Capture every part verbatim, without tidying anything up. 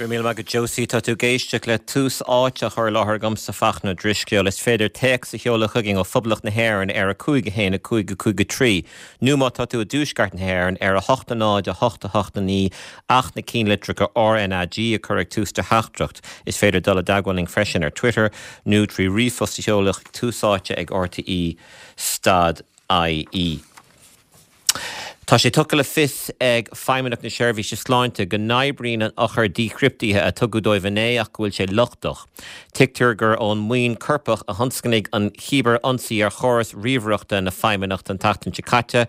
Go raibh míle maith agat Josie tá tú ag éisteacht le Tús Áite á chur i láthair agamsa Fachtna Ó Drisceoil is féidir téacs a sheoladh chugainn ó Phoblacht na hÉireann ar a cúig a haon a cúig a cúig a trí. Nó má tá tú i dtuaisceart na hÉireann ar a hocht a náid a hocht a hocht a naoi ach na ceannlitreacha RNAG a chur ag tús do theachtaireacht. Is féidir dul i dteagmháil linn freisin ar Twitter nó trí ríomhphost a sheoladh tús áite ag RTE stad IE. Tá sé tugtha le fios ag Feidhmeannacht na Seirbhíse Sláinte go n-oibríonn an eochair díchriptithe a tugadh dóibh inné ach go bhfuil sé lochtach. Tuigtear gur ón mbuíon coirpeach a thionscnaigh an cibirionsaí ar chóras ríomhaireachta na Feidhmeannachta an tseachtain seo caite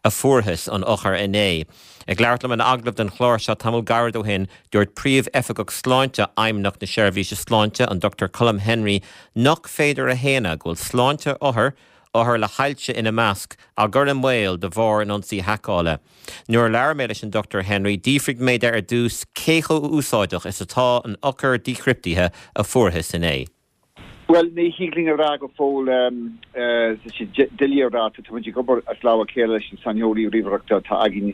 a fuarthas an eochair inné. Ag labhairt liom in agallamh don chlár seo tamall gairid ó shin dúirt Príomh-Oifigeach Sláinte Fheidhmeannacht na Seirbhíse Sláinte an Dr Colm Henry nach féidir a shéanadh go bhfuil sláinte othar, othar le hailse ina measc á cur i mbaol de bharr an ionsaí haiceála. Nuair a labhair mé leis an Dr Henry, d'fhiafraigh mé de ar dtús cé chomh úsáideach is atá an eochair díchriptithe a fuarthas inné. Well ní thig linn a rá go fóill doiligh a rá tá muid ag obair as lámh a chéile leis na saineolaithe ríomhaireachta atá againn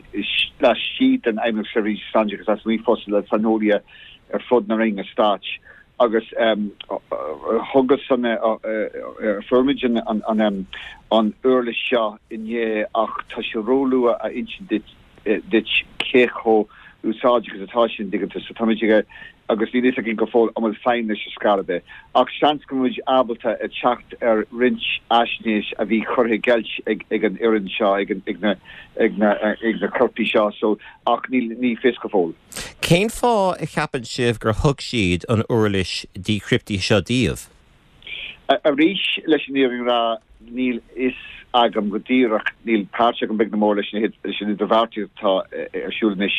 laistigh den Fheidhmeannacht Seirbhíse Sláinte agus lasmuigh fosta le saineolaithe ar fud na Roinne Stáit. agus thugas an fuair muid an an uirlis seo inné ach tá sé róluath a insint duit cé chomh úsáideach is atá sin diganta so táimid ag agus níl a fhios againn go fóill an bhfuil feidhm leis ar scor ar bith. Ach seans go muid ábalta a teacht ar roinnt fhaisnéis a bhí curtha i gceilt ag ag an fhoireann seo ag ag na ag na ag na coirpigh seo so ach ní ní fios go fóill. Cén fáth a cheapann sibh gur thug siad an uirlis díchriptithe seo daoibh? Arís leis an fhírinne a rá níl a fhios agam go díreach níl páirt agam beag ná mór leis leis an idirbheartaíocht atá ar siúl anois.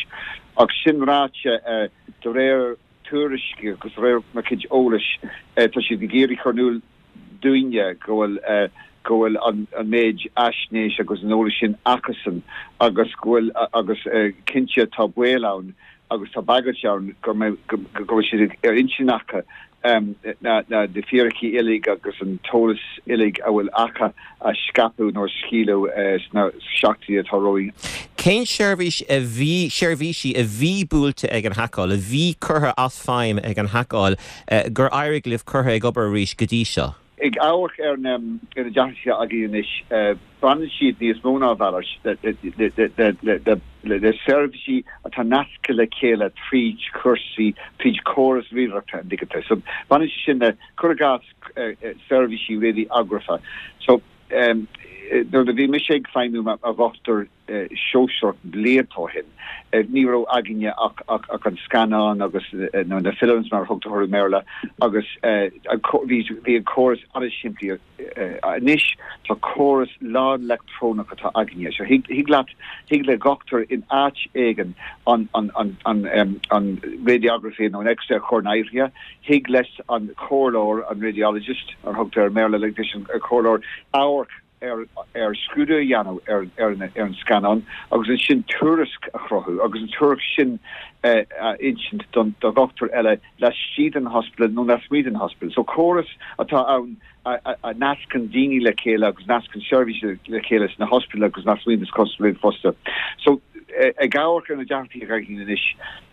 Ach sin ráite de réir tuairiscí agus réir mo chuid eolais tá siad ag iarraidh cur in iúl dúinne go bhfuil go bhfuil an an méid fhaisnéis agus an eolas sin acusan agus go bhfuil agus cinnte tá baol ann agus tá bagairt ann go go bhfuil siad ar intinn acu na na na fíricí uilig agus an t-eolas uilig a bhfuil acu a scaipeadh nó a scaoileadh sna seachtainí atá romhainn. Cén seirbhís a bhí seirbhísí a bhí buailte ag an haiceáil, a bhí curtha as feidhm ag an haiceáil gur éirigh libh curtha ag obair arís go dtí seo? Ag amharc ar na ar na deacrachtaí againn anois baineann siad níos mó ná a mhalairt le seirbhísí atá nasctha le chéile tríd cúrsaí tríd córas ríomhaireachta an digite. So baineann sé sin le cur i gcás seirbhísí radiography. So nuair a bhí mise ag feidhmiú mar dhochtúir sóisearach blianta ó shin ní raibh againne ach ach ach an scannán agus nó na films mar thugtar orthu i mBéarla agus bhí bhí an córas an-simplí anois tá córas lán leictreonach atá againne. So thig thig leat thig le dochtúir in áit éigin an an an an an radiography nó an X-ray a chur in áirithe, thig leis an chomhairleoir an radiologist ar thugtar i mBéarla leis an chomhairleoir amharc ar ar scrúdú a dhéanamh ar ar ar an scannán agus ansin tuairisc a chruthú agus an tuairisc sin a insint don do dhochtúir eile laistigh den hospital nó lasmuigh den hospital. So córas atá ann a, a nascann daoine le chéile agus nascann seirbhísí le chéile sna hospital agus lasmuigh den hospital fosta. So ag amharc ar na deacrachtaí againn anois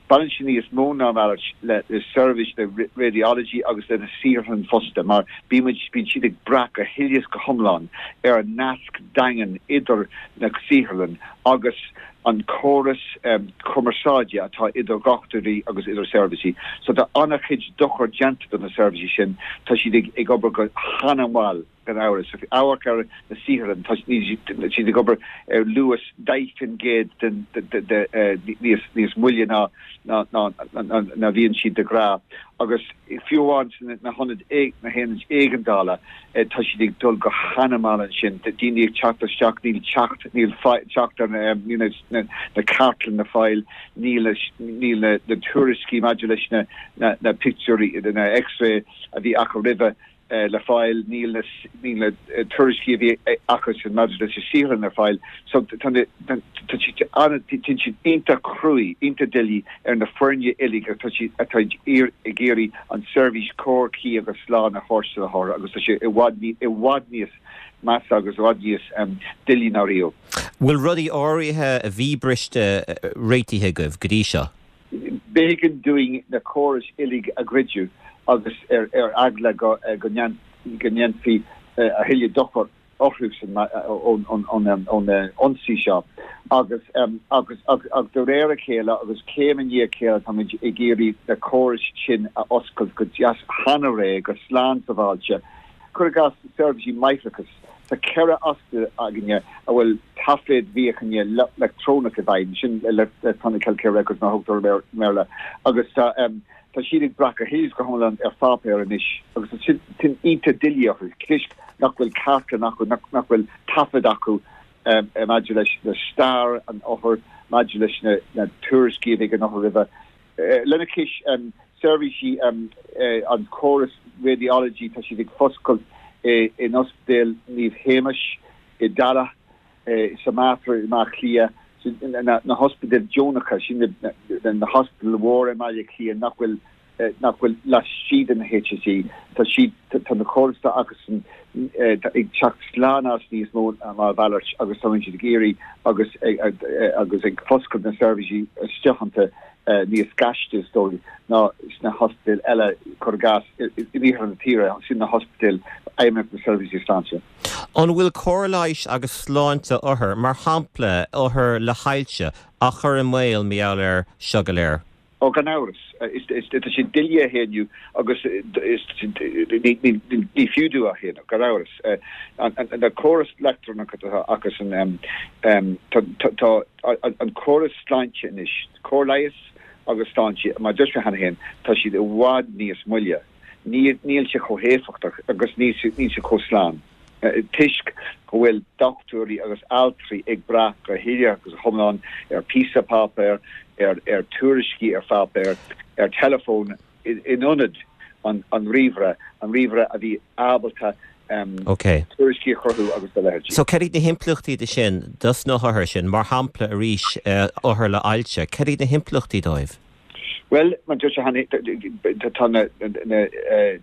baineann sé níos mó ná malairt le le seirbhís le radiology agus le na saotharlann fosta mar bímid bíonn siad ag brath go huile is go hiomlán ar an nasc daingean idir na saotharlann agus an córas um, cumarsáide atá idir dhochtúirí agus idir seirbhísí. So tá an-chuid dochar déanta do na seirbhísí sin tá siad ag, ag obair go han-mhall gan amhras. So amharc ar na saotharlann tá siad ag obair ar luas deich faoin gcéad den níos níos moille ná ná ná ná bhíonn siad de ghnáth agus fiú amháin na hionaid na haonaid éigeandála tá siad ag dul go han-mhall ansin daoine ag teacht isteach níl teacht níl teacht ar na na na cartlann le fáil níl níl na na tuairiscí maidir leis na na na pictiúirí na X-ray a bhí acu roimhe le fáil níl na níl na tuairiscí a bhí acu sin maidir leis na saotharlann ar fáil so tá tá siad siad iontach cruaidh iontach doiligh ar na foirne uilig atá siad atá ag iarraidh an seirbhís cóir cuí agus slán a thabhairt do na hothair agus tá sé i bhfad i bhfad níos measa agus i bhfad níos doiligh ná riamh. Bhfuil rudaí áirithe a bhí briste réitithe agaibh go dtí seo? B'éigean dúinn na córais uilig a dhruideadh agus ar ar eagla go go ndéanfaí a thuilleadh dochar orthu ón ón ionsaí seo agus agus agus de réir a chéile agus céim i ndiaidh a chéile táimid ag iarraidh na córais sin a oscailt go deas an-réidh go slán sábháilte. Cuir i gcás seirbhísí máithreachais, tá ceithre ospidéal againne a bhfuil taifid mhíochaine leictreonach i bhfeidhm, sin Electronic Healthcare Records mar a thugtar i mBéarla, agus tá tá siad ag brath go huile is go hiomlán ar pháipéar anois agus tá sin sin iontach doiligh orthu toisc nach bhfuil cartlann acu, nach nach bhfuil taifead acu maidir leis le stair an othair, maidir leis na na tuairiscí a bhí ag an othar roimhe. Lena chois seirbhísí an córas radiology tá siad ag foscailt in Ospidéal Naomh Shéamais i dTallaght, sa Mater i mBaile Átha Cliath, na hospidéil deonacha, sin na hospidéil mhóra i mBaile Átha Cliath nach bhfuil nach bhfuil laistigh den HSE. Tá siad tá na córais atá acusan ag teacht slán as níos mó ná a mhalairt agus tá siad ag iarraidh agus agus ag foscailt na seirbhísí isteach iontu níos gaiste is dóigh ná sna hospidéil eile, cuir i gcás, in iarthar na tíre, sin na hospidéil Fheidhmeannacht na Seirbhísí Sláinte. An bhfuil cóir leighis agus sláinte othar, mar shampla othair le hailse, á chur i mbaol mar gheall air seo go léir? Ó, gan amhras. Tá sé doiligh a shéanadh agus ní fiú domh a shéanadh, gan amhras. Na córais leictreonacha atá acusan, tá an córas sláinte anois, cóir leighis agus sláinte, mar a dúirt mé cheana féin, tá siad i bhfad níos moille. Níl sé chomh héifeachtach agus níl sé chomh slán toisc go bhfuil dochtúirí agus altraí ag brath go huile agus go hiomlán ar phíosa páipéir, ar ar tuairiscí ar pháipéar, ar teileafón in ionad an an ríomhaire, an ríomhaire a bhí ábalta tuairiscí a chruthú agus a leithéidí. So cad iad na himpleachtaí de sin dos na hothair sin, mar shampla arís othair le hailse, cad iad na himpleachtaí dóibh? Bhuel, mar a dúirt mé cheana, tá na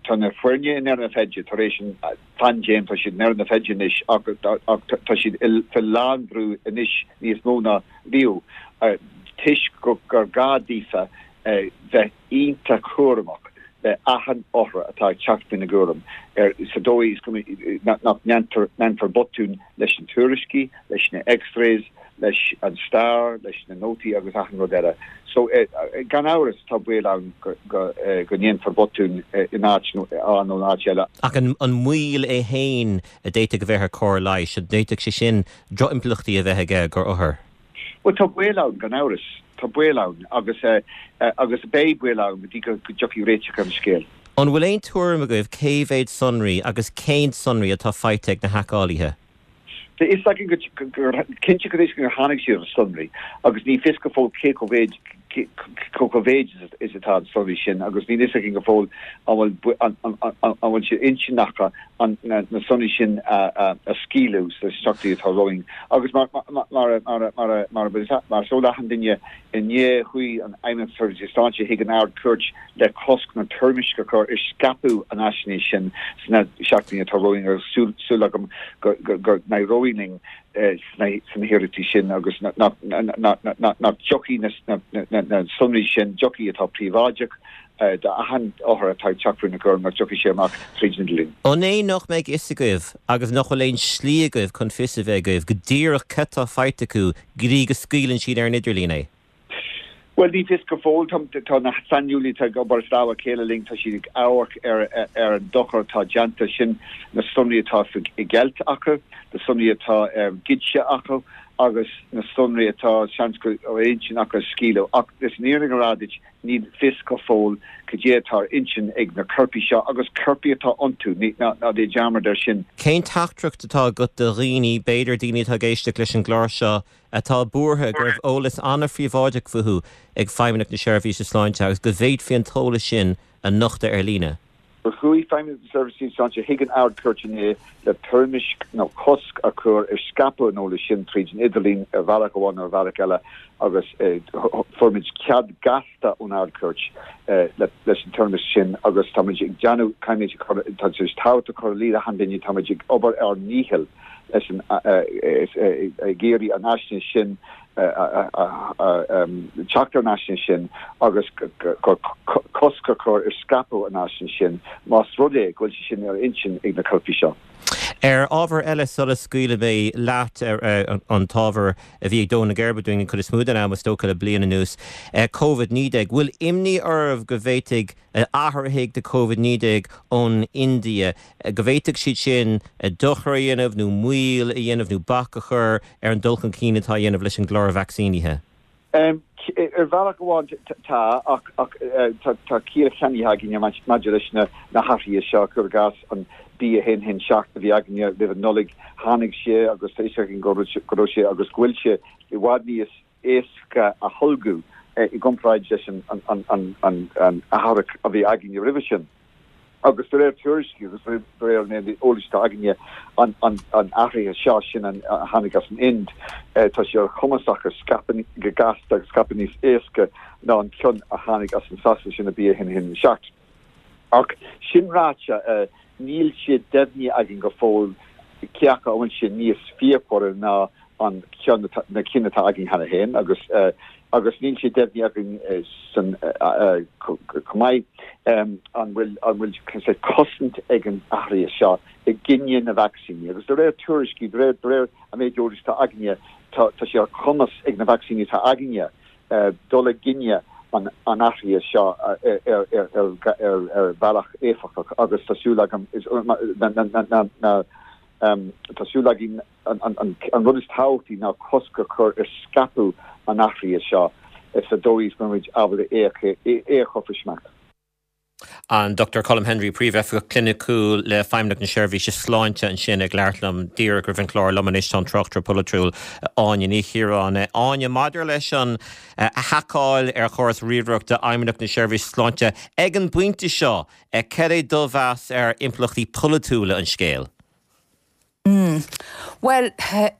tá na foirne i ndeireadh na feide tar éis an phaindéim, tá siad i ndeireadh na feide anois ach tá siad faoi lánbhrú anois níos mó ná riamh toisc gur gá daofa bheith iontach cúramach le achan othar atá ag teacht faoina gcúram ar sa dóigh is go nach ndéanfar botún leis na tuairiscí, leis na X-rays, leis an stair, leis na nótaí agus achan rud eile. So gan amhras tá baol ann go go ndéanfar botún in áit A nó in áit eile. Ach an moill é féin a d'fhéadfadh a bheith ar chóir leighis, an bhféadfadh sé sin drochimpleachtaí a bheith aige gur othair? Bhuel tá baol ann gan amhras, tá baol ann agus agus beidh baol ann go dtí go dtiocfaidh réiteach ar an scéal. An bhfuil aon tuairim agaibh cé mhéad sonraí agus cén sonraí atá faighte ag na haiceálaithe? Tá a fhios againn gur cinnte go gur tháinig siad ar sonraí agus ní fios go fóill cé chomh mhéid chomh mhéid is atá an sonraí sin agus níl a fhios againn go fóill an bhfuil an bhfuil sé intinn acu na sonraí sin a scaoileadh sna seachtainí atá romhainn. Agus mar mar mar mar mar mar is eol d'achan duine inné chuaigh an Fheidhmeannacht Seirbhísí Sláinte chuig an Ard-Chúirt le cosc nó toirmisc a chur ar scaipeadh an fhaisnéis sin sna seachtainí atá romhainn agus súil agam go n-éireoidh linn sna hiarrachtaí sin agus nach dtiocfaidh na sonraí sin, dtiocfaidh atá príobháideach d'achan othar atá ag teacht faoina gcúram, nach dtiocfaidh sé amach tríd an idirlíon. An é nach mbeidh fhios agaibh agus nach bhfuil aon slí agaibh chun fios a bheith agaibh go díreach cad tá faighte acu go dtí go scaoileann siad ar an idirlíon é? Bhuel, ní fios go fóill. Tá na saineolaithe atá ag obair as lámha a chéile linn, tá siad ag amharc ar ar an dochar atá déanta, sin na sonraí atá i gceilt acu, na sonraí atá goidte acu agus na sonraí atá seans go ar intinn acu a scaoileadh. Ach leis an fhírinne a rá duit, ní fios go fóill cad é atá ar intinn ag na coirpigh seo agus coirpigh atá iontu, ná déan dearmad air sin. Cén teachtaireacht atá agat do dhaoine, b'fhéidir daoine atá ag éisteacht leis an gclár seo, atá buartha go raibh eolas an-phríobháideach fúthu ag Feidhmeannacht na Seirbhíse Sláinte agus go bhféadfaí an t-eolas sin a nochtadh ar líne. Gur chuaigh Feidhmeannacht na Seirbhíse Sláinte chuig an Ard-Chúirt inné le toirmisc nó cosc a chur ar scaipeadh an eolais sin tríd an idirlíon ar bhealach amháin nó ar bhealach eile agus fuair muid cead gasta ón Ard-Chúirt leis an toirmisc sin agus táimid ag déanamh, caithfimid, tá sé tábhachtach a chur in iúl d'achan duine, táimid ag obair ár ndícheall leis an ag iarraidh an fhaisnéis sin teacht ar an fhaisnéis sin agus cosc a chur ar scaipeadh an fhaisnéis sin más rud é go bhfuil sé sin ar intinn ag na coirpigh seo. Ar ábhar eile sula scaoilfidh mé leat ar an t-ábhar a bhí ag dó na geirbe dúinn an chuid is mó den am is dócha le bliain anuas, Covid naoi déag. Bhfuil imní oraibh go bhféadfaidh athraithigh de Covid naoi déag ón India, go bhféadfadh siad sin dochar a dhéanamh nó moill a dhéanamh nó bac a chur ar an dul chun cinn atá á dhéanamh leis an gclár vacsaínithe? Ar bhealach amháin tá, ach tá ciall ceannaithe againne maidir leis na hathruithe seo, cuir i gcás an B a haon haon seacht a bhí againne roimh an Nollaig, tháinig sé agus tá fhios againn go raibh sé agus go bhfuil sé i bhfad níos éasca a tholgadh i gcomparáid leis an athraitheach a bhí againne roimhe sin. Agus de réir tuairiscí agus de réir an eolais atá againne, an athraithe seo sin a tháinig as an Ind, tá sé ar chumas acu scaipeadh go gasta agus scaipeadh níos éasca ná an ceann a tháinig as an Sasana, sin an B a haon haon seacht. Ach sin ráite, níl sé deimhnithe againn go fóill cé acu an bhfuil sé níos fíochmhaire ná an ceann na cinn atá againn cheana féin agus agus níl sé deimhnithe againn san chomh maith an bhfuil an bhfuil cosaint ag an athraithe seo i gcoinne na vacsaíní agus de réir tuairiscí de réir de réir an méid eolais atá againne tá tá sé ar chumas ag na vacsaíní atá againne dul i gcoinne an an athraithe seo ar ar ar ar ar bhealach éifeachtach agus tá súil agam na na na na Tá súil againn an rud is tábhachtaí ná cosc a chur ar scaipeadh an athraithe seo sa dóigh is go mbeimid ábalta é a chur faoi smacht. An Dochtúir Colm Henry, Príomh-Oifigeach Cliniciúil le Feidhmeannacht na Seirbhíse Sláinte ansin ag labhairt liom díreach roimh an chlár. Liom anois tá an tráchtaire polaitiúil Áine Ní Chiaráin. Áine, maidir leis an haiceáil ar chóras ríomhaireachta Fheidhmeannacht na Seirbhíse Sláinte ag an bpointe seo, cad é do mheas ar impleachtaí polaitiúla an scéil? Bhuel,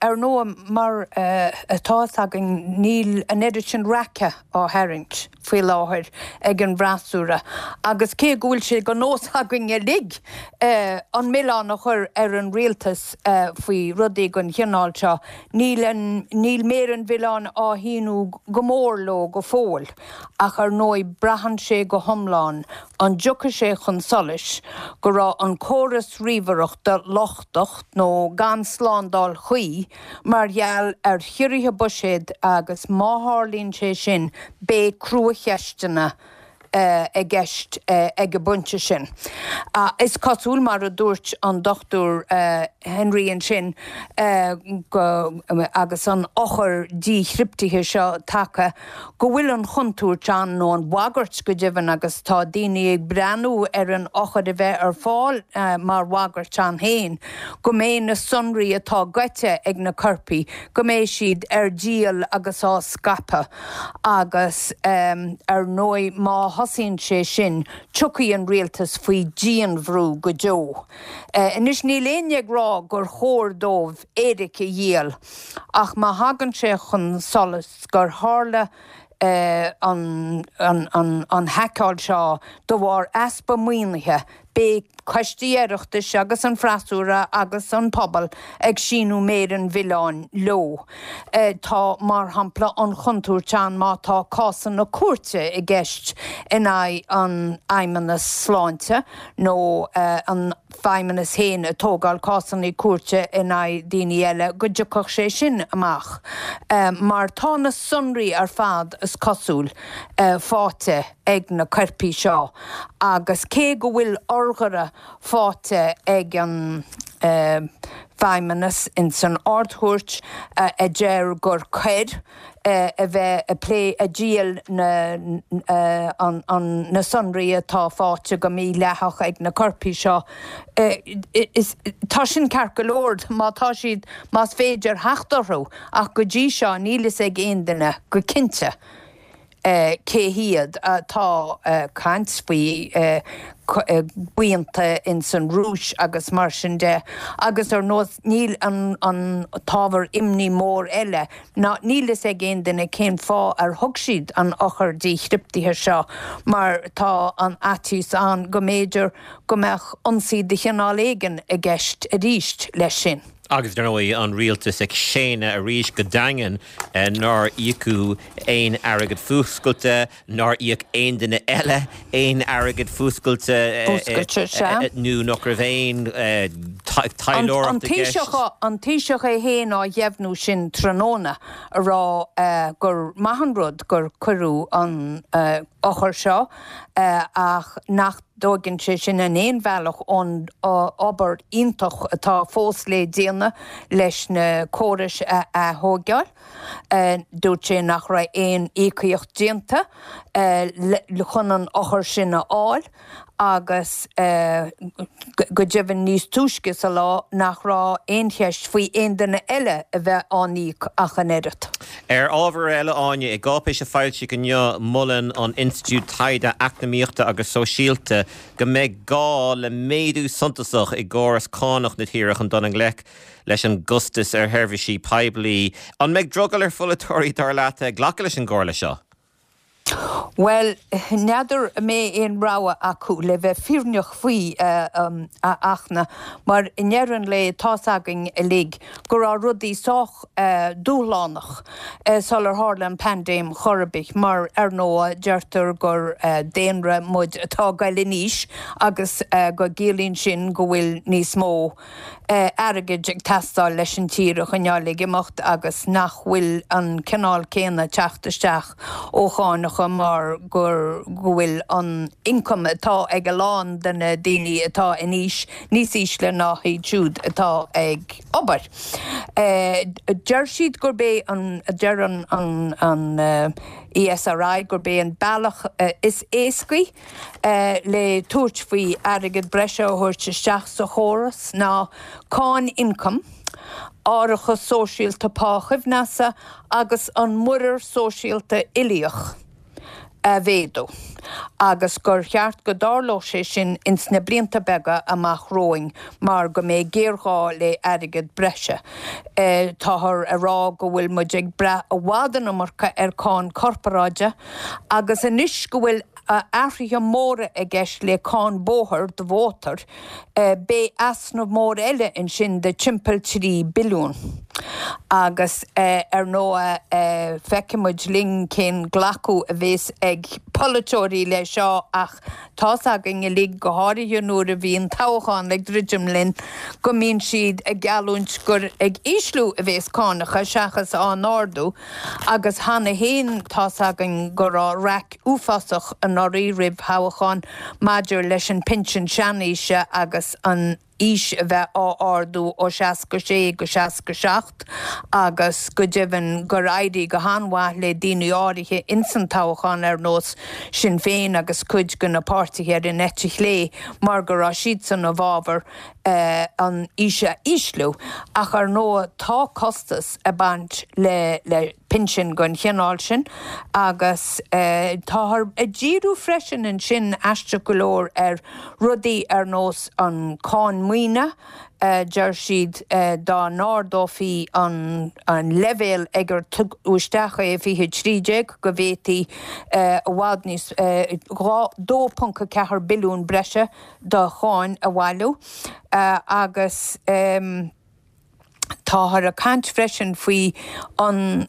ar ndóigh, mar atá fhios againn, níl an oiread sin raice á tharraingt faoi láthair ag an bhfreasúra agus cé go bhfuil sé de nós againn uilig an milleán a chur ar an rialtas faoi rudaí den chineál seo, níl an, níl méar an mhilleáin á shíniú go mór leo go fóill. Ach ar ndóigh, braitheann sé go hiomlán an dtiocfaidh sé chun solais go raibh an córas ríomhaireachta lochtach nó gan slándáil chuí mar gheall ar chiorruithe buiséid agus má tharlaíonn sé sin beidh cruacheisteanna i gceist ag an bpointe sin. Is cosúil, mar a dúirt an Dochtúir Henry ansin, go, agus an eochair díchriptithe seo tagtha, go bhfuil an chontúirt ann, nó an bhagairt go deimhin, agus tá daoine ag breathnú ar an eochair a bheith ar fáil mar bhagairt ann féin, go mbeidh na sonraí atá goidte ag na coirpigh, go mbeidh siad ar díol agus á scaipeadh agus ar ndóigh má thosaíonn sé sin, tiocfaidh an rialtas faoi dhianbhrú go deo. Anois níl éinne ag rá gur chóir dóibh éiric a dhíol ach má thagann sé chun solais gur tharla an haiceáil seo de bharr easpa maoinithe, beidh coistí Oireachtais agus an freasúra agus an pobal ag síniú méar an mhilleáin leo. Tá, mar shampla, an chontúirt ann má tá cásanna cúirte i gceist in aghaidh an Fheidhmeannas Sláinte nó an Feidhmeannas féin ag tógáil cásanna cúirte in aghaidh daoine eile go dtiocfadh sé sin amach mar tá na sonraí ar fad, is cosúil, faighte ag na coirpigh seo agus cé go bhfuil urghaire faighte ag an Feidhmeannas ins an Ard-Chúirt a deir gur coir a bheith ag plé ag díol na na sonraí atá faighte go mídhleathach ag na coirpigh seo. Is tá sin ceart go leor má tá siad más féidir theacht orthu ach go dtí seo níl fhios ag aon duine go cinnte. cé hiad. Tá caint faoi buíonta ins an Rúis agus mar sin de agus ar ndóigh níl an an t-ábhar imní mór eile ná níl fhios ag aon duine cén fáth ar thug siad an eochair díchriptithe seo mar tá an fhaitíos ann go mb'fhéidir go mbeadh ionsaí de chineál éigin i gceist arís leis sin. Agus dar ndóigh an rialtas ag séanadh arís go daingean nár íocadh aon airgead fuascailte, nár íoc aon duine eile aon airgead fuascailte nó nach raibh aon taidhleoireacht i gceist. An Taoiseach é féin á dheimhniú sin tráthnóna a rá gur maith an rud gur cuireadh an eochair seo ach nach dtógann sé sin in aon bhealach ón obair iontach atá fós le déanamh leis na córais a ath-thógáil. Dúirt sé nach raibh aon íocaíocht déanta chun an eochair sin a fháil agus go deimhin níos túisce sa lá nach raibh aon cheist faoi aon duine eile a bheith á n-íoc ach an oiread. Ar ábhar eile, Áine, i gcáipéis a foilsíodh inniu, molann an Institiúid Taighde Eacnamaíochta agus Sóisialta go mbeidh gá le méadú suntasach i gcóras cánach na tíre chun dul i ngleic leis an gcostas ar sheirbhísí poiblí. An mbeidh drogall ar pholaiteoirí, dar leat, glacadh leis an gcomhairle seo? Bhuel, n'fheadar an mbeidh aon rogha acu le bheith fírinneach faoi, a Fhachtna, mar i ndeireadh an lae tá's againn uilig go raibh rudaí sách dúshlánach sular tharla an paindéim chor ar bith, mar ar ndóigh deirtear gur daonra muid atá ag goil in aois agus go gciallaíonn sin go bhfuil níos mó airgid ag teastáil leis an tír a choinneáil ag imeacht agus nach bhfuil an cineál céanna teacht isteach ó chánacha mar gur go bhfuil an ioncam atá ag a lán de na daoine atá in aois níos ísle ná iad siúd atá ag obair. Deir siad gurb é an, deir an an ESRI gurb é an bealach is éascaí le tabhairt faoi airgead breise a thabhairt isteach sa chóras ná cáin ioncaim, árachas sóisialta pá-choibhneasa agus an muirear sóisialta uilíoch a mhéadú agus gur cheart go dtarlódh sé sin ins na blianta beaga amach romhainn mar go mbeidh géarghá le airgead breise. Táthar a rá go bhfuil muid ag brath i bhfad an iomarca ar cáin corparáide agus anois go bhfuil athruithe móra i gceist le cáin bóthair do mhótair, beidh easnamh mór eile ansin de timpeall trí billiún. Agus ar ndóigh feicfidh muid linn cén glacadh a bhéas ag polaiteoirí le seo ach tá's againn uilig, go háirithe nuair a bhíonn toghchán ag druidim linn, go mbíonn siad ag geallúint gur ag ísliú a bhéas cánacha seachas á n-ardú agus cheana féin tá's againn go raibh raic uafásach anuraidh roimh thoghchán maidir leis an pinsean seanaoise agus an aois a bheith á ardú ó seasca sé go seasca seacht agus go deimhin gur éirigh go han-mhaith le daoine áirithe insan toghchán ar nós Sinn Féin agus cuid de na páirtithe ar an eite chlé mar go raibh siadsan i bhfabhar an aois a ísliú. Ach ar ndóigh tá costas ag baint le le pinsin den chineál sin agus táthar ag díriú freisin ansin, aisteach go leor, ar rudaí ar nós an cáin maoine, deir siad dá n-ardófaí an leibhéal ag ar tugadh isteach é i fiche trí déag go bhféadfaí i bhfad níos dhá dó ponc a ceathair billiún breise de cháin a bhailiú agus. Táthar ag caint freisin faoi an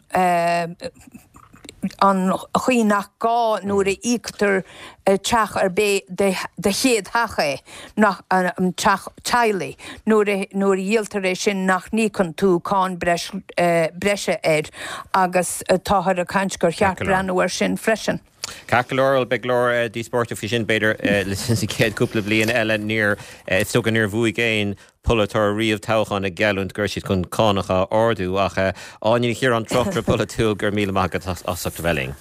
an chaoi nach gá nuair a íoctar teach ar bith do chéad theach é, nach an teach teaghlaigh, nuair a nuair a dhíoltar é sin nach n-íocann tú cáin breise air agus táthar ag caint gur cheart breathnú air sin freisin. Ceart go leor, beidh go leor díospóireachta faoi sin b'fhéidir sa chéad cúpla bliain eile. Níor, is dócha níor bhuaigh aon polaiteoir riamh toghchán ag geallúint go raibh siad chun cánacha a ardú ach Áine Ní Chiaráin, tráchtaire polaitiúil, go raibh míle maith agat as ucht a bheith linn.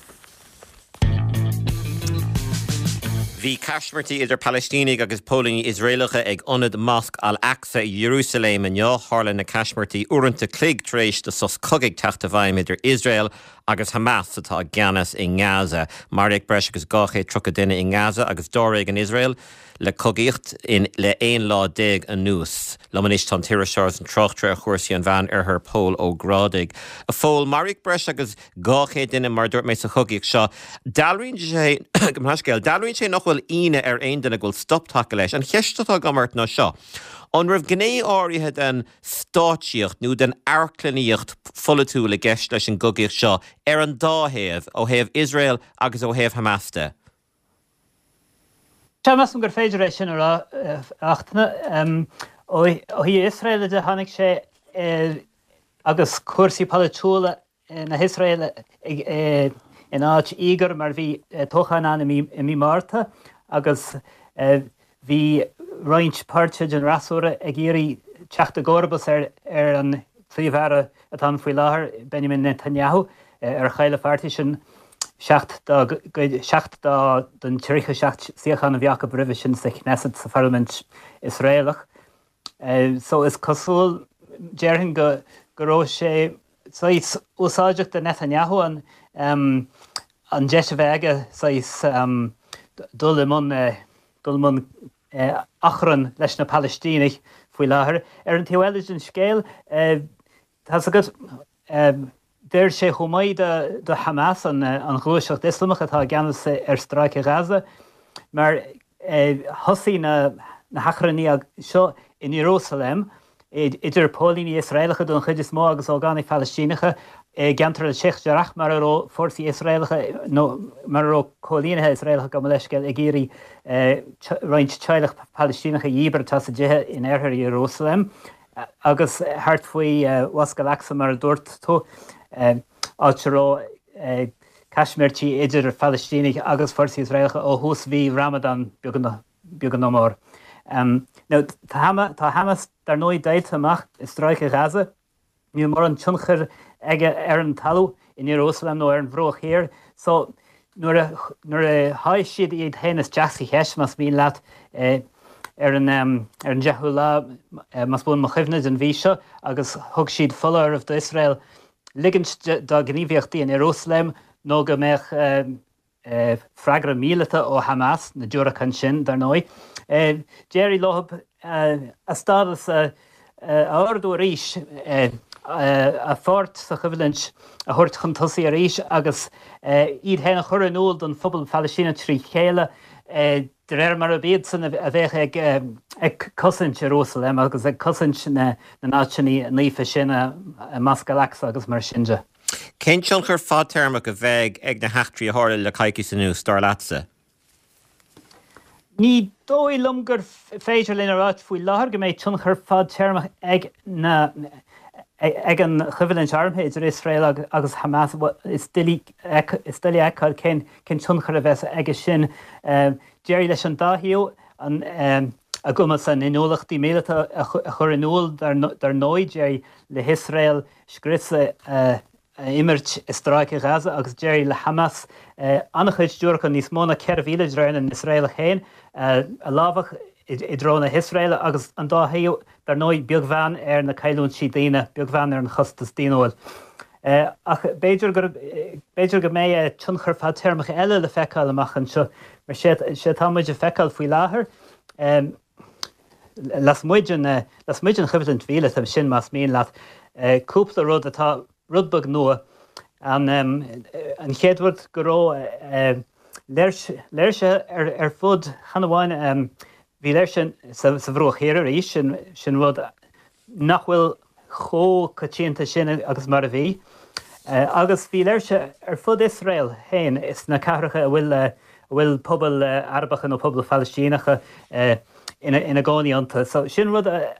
Bhí caismirtí idir Palaistínigh agus póilíní Iosraelacha ag ionad Mosc Al-Aqsa i Iarúsailéim inniu. Tharla na caismirtí uaireanta cloig tar éis do sos cogaidh teacht i bhfeidhm idir Iosrael agus Hamas atá i gceannas i nGaza. Maraíodh breis agus dhá chéad tríocha duine i nGaza agus dáréag in Iosrael le cogaíocht in le aon lá déag anuas. Liom anois tá an t-iriseoir agus an tráchtaire ar chúrsaí an Mheán Oirthir Pól Ó Grádaigh. A Phóil, maraíodh breis agus dhá chéad duine mar a dúirt mé sa chogaíocht seo. Dealraíonn sé, gabh mo leithscéal, dealraíonn sé nach bhfuil go bhfuil ionadh ar aon duine go bhfuil stop tagtha leis. An cheist atá agam ort ná seo. An raibh gné áirithe den stáitsíocht nó den amharclannaíocht pholaitiúil i gceist leis an gcogaíocht seo ar an dá thaobh, ó thaobh Iosrael agus ó thaobh Hamas de? Sea, measaim gur féidir é sin a rá, a Fhachtna. Ó thaobh Iosrael de, tháinig sé agus cúrsaí polaitiúla na hIosraeile in áit íogair mar bhí toghchán ann i mí Márta agus bhí roinnt páirtithe den fhreasúra ag iarraidh teacht i gcomharbas ar ar an Phríomh-Aire atá ann faoi láthair, Benjamin Netanyahu, ar chaill a pháirtísean seacht dá gcuid, seacht dá den tríocha seacht suíochán a bhí acu roimhe sin sa Knesset, sa pharlaimint Iosraelach. So is cosúil, déarfainn, go go raibh sé saghas úsáideach do Netanyahu an an deis a bheith aige saghas dul i mbun dul i mbun achrann leis na Palaistínigh faoi láthair. Ar an taobh eile den scéal, tá's agat, d'oir sé chomh maith do Hamas, an ghluaiseacht Ioslamach atá i gceannas ar Stráice Ghaza, mar thosaigh na hachrannaí seo in Iarúsailéim, idir póilíní Iosraelacha don chuid is mó agus ógánaigh Phalaistíneacha i gceantar Sheikh Jarrah mar a raibh fórsaí Iosraelacha nó mar a raibh coilínithe Iosraelacha, gabh mo leithscéal, ag iarraidh roinnt teaghlach Palaistíneach a dhíbirt as a dtithe in oirthear Iarúsailéim agus thart faoi Mhosc Al-Aqsa mar a dúirt tú, áit a raibh caismirtí idir Phalaistínigh agus fórsaí Iosraelacha ó thús mhí Ramadan beag nó mór. Now tá Hamas dar ndóigh deighilte amach i Stráice Ghaza. Níl mórán tionchair aige ar an talamh in Iarúsailéim nó ar an Bhruach Thiar. So nuair a nuair a sháigh siad iad féin isteach sa cheist, más mian leat, ar an ar an deichiú lá, más buan mo chuimhne, den mhí seo agus thug siad foláireamh d'Iosrael ligint dá ngníomhaíochtaí in Iarúsailéim nó go mbeadh freagra míleata ó Hamas, na diúracáin sin, dar ndóigh. D'éirigh leo a stádas a ardú arís, a pháirt sa choimhlint a thabhairt chun tosaigh arís agus iad féin a chur in iúl don phobal Phalaistíneach trí chéile de réir mar ab iadsan a bheadh ag cosaint Iarúsailéim agus ag cosaint na n-áiteanna naofa sin, Mosc Al-Aqsa agus mar sin de. Cén tionchar fadtéarmach a bheidh ag na heachtraí a tharla le coicís anuas, dar leatsa? Ní dóigh liom gur féidir linn a ráit faoi láthair go mbeidh tionchar fadtéarmach ag na ag an choimhlint armtha idir Iosrael agus Hamas. Is doiligh a fheiceáil cén cén tionchar a bheas aige sin. D'éirigh leis an dá thaobh an a gcumas a n-inniúlachtaí míleata a chur in iúl dar ndóigh, d'éirigh le hIosrael scrios a imirt i Stráice Ghaza agus d'éirigh le Hamas an-chuid diúracán, níos mó ná ceithre mhíle de réir na nIosraelach féin, a lámhach i dtreo na hIosraeile agus an dá thaobh, dar ndóigh, beagbheann ar na cailliúintí daonna, beagbheann ar an chostas daonnúil. Ach b'fhéidir gur, b'fhéidir go mbeidh tionchar fadtéarmach eile le feiceáil amach anseo, mar sé atá muid a feiceáil faoi láthair, lasmuigh den, lasmuigh den choimhlint mhíleata sin más mian leat, cúpla rud atá rud beag nua. An, an chéad rud go raibh léirsithe ar, ar fud, chan amháin, bhí léirsithe sa, sa Bhruach Thiar arís, sin, sin rud nach bhfuil chomh coitianta sin agus mar a bhí. Agus bhí léirsithe ar fud Iosrael féin, sna cathracha a bhfuil a bhfuil pobail Arabacha nó pobail Phalaistíneacha ina ina gcónaí iontu. So sin rud a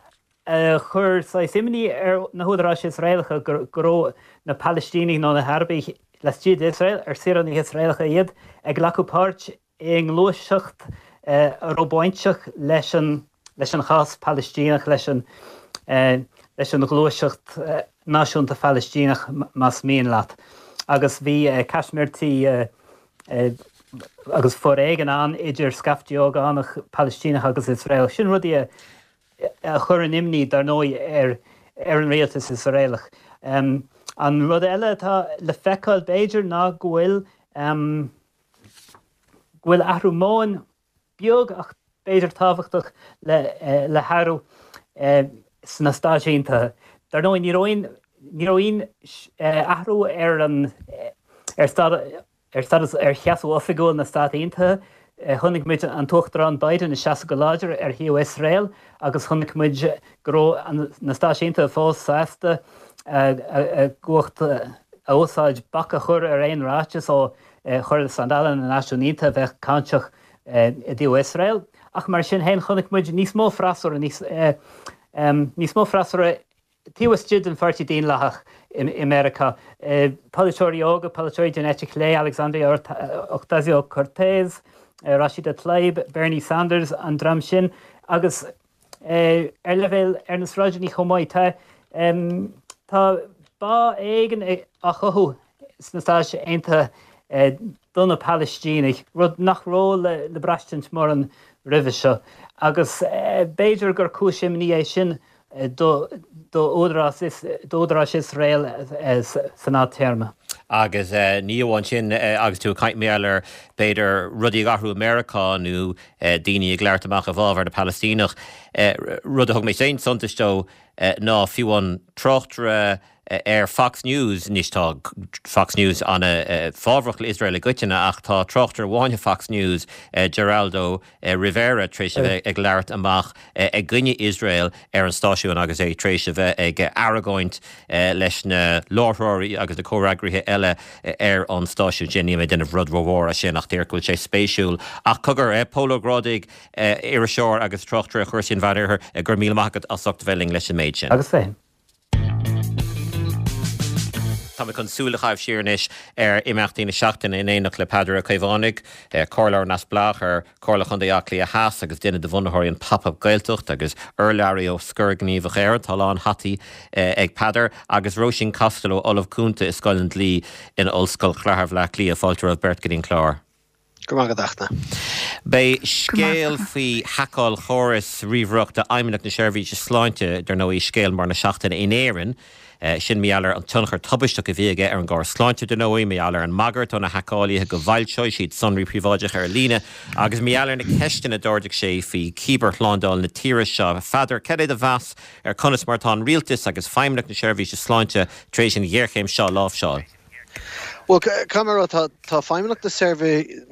chuir saghas imní ar na húdaráis Iosraelacha go go raibh na Palaistínigh nó na hArabaigh laistigh d'Iosrael, ar saoránaigh Iosraelacha iad, ag glacadh páirt i ngluaiseacht a raibh bainteach leis an leis an chás Palaistíneach, leis an leis an ghluaiseacht náisiúnta Phalaistíneach más mian leat. Agus bhí caismirtí agus foréigean ann idir scaifte ógánach Palaistíneach agus Iosraelach. Sin rudaí a chuireann imní, dar ndóigh, ar ar an rialtas Iosraelach. An rud eile atá le feiceáil, b'fhéidir, ná go bhfuil go bhfuil athrú meoin beag ach b'fhéidir tábhachtach le le hathrú sna Stáit Aontaithe. Dar ndóigh, ní raibh aon ní raibh aon athrú ar an ar ar stádas ar sheasamh oifigiúil na Stát Aontaithe Chonaic muid an tUachtarán Biden ag seasamh go láidir ar thaobh Iosrael agus chonaic muid go raibh na Stáit Aontaithe fós sásta a gcumhacht a úsáid bac a chur ar aon ráiteas ó Chomhairle Slándála na Náisiún Aontaithe a bheadh cáinteach i dtaobh Iosrael. Ach mar sin féin chonaic muid níos mó freasúra níos mó freasúra taobh istigh den Pháirtí Daonlathach i Meiriceá. Polaiteoirí óga, polaiteoirí den eite chlé, Alexandria Ocasio-Cortez, Rashida Tlaib, Bernie Sanders, an dream sin, agus ar leibhéal ar na sráideanna chomh maith. Tá tá bá éigin á chothú sna Stáit Aontaithe do na Palaistínigh, rud nach raibh le le braistint mórán roimhe seo, agus b'fhéidir gur cúis imní é sin d'údaráis Iosrael san fhadtéarma. Agus ní amháin sin, agus tú ag caint mar gheall ar, b'fhéidir, rudaí ag athrú i Meiriceá nó daoine ag labhairt amach i bhfabhar na Palaistíneach, rud a thug mé féin suntas dó ná fiú an tráchtaire ar Fox News, anois tá Fox News an-fhábhrach le Iosrael i gcoitinne ach tá tráchtaire amháin ar Fox News, Geraldo Rivera, tar éis a bheith ag labhairt amach i gcoinne Iosrael ar an stáisiún agus é tar éis a bheith ag argóint leis na láithreoirí agus na comhfhreagraithe eile ar an stáisiún sin. Níl mé ag déanamh rud rómhór as sin ach díreach go bhfuil sé spéisiúil. Ach cogar, Pól Ó Grádaigh, iriseoir agus tráchtaire ar chúrsaí an Mheánoirthir, go raibh míle maith agat as ucht a bheith linn leis an méid sin. Agus féin. Tá mé chun súil a chaitheamh siar anois ar imeachtaí na seachtaine in éineacht le Peadar Ó Caomhánaigh, Comhairleoir Neamhspleách ar Chomhairle Chontae Átha Cliath Theas agus duine de bhunaitheoirí an Pop Up Gaeltacht agus urlabhraí ó Scor Gníomhach Éireann. Tá a lán hataí ag Peadar agus Róisín Costello, Ollamh Cúnta i Scoil an Dlí in Ollscoil Chathair Bhaile Átha Cliath. Fáilte romhaibh beirt go dtí an clár. Go raibh maith agat, a Fhachtna. Beidh scéal faoi haiceáil chóras ríomhaireachta Fheidhmeannacht na Seirbhíse Sláinte, dar ndóigh, scéal mór na seachtaine in Éirinn. Sin mar gheall ar an tionchar tubaisteach a bhí aige ar an gcóras sláinte, dar ndóigh, mar gheall ar an mbagairt ó na haiceálaithe go bhfoilseoidh siad sonraí príobháideacha ar líne agus mar gheall ar na ceisteanna a d'ardaigh sé faoi chibearshlándáil na tíre seo. A Pheadair, cad é do mheas ar conas mar atá an rialtas agus Feidhmeannacht na Seirbhíse Sláinte tar éis an ghéarchéim seo a láimhseáil? Bhuel, caithfidh mé a rá, tá tá Feidhmeannacht na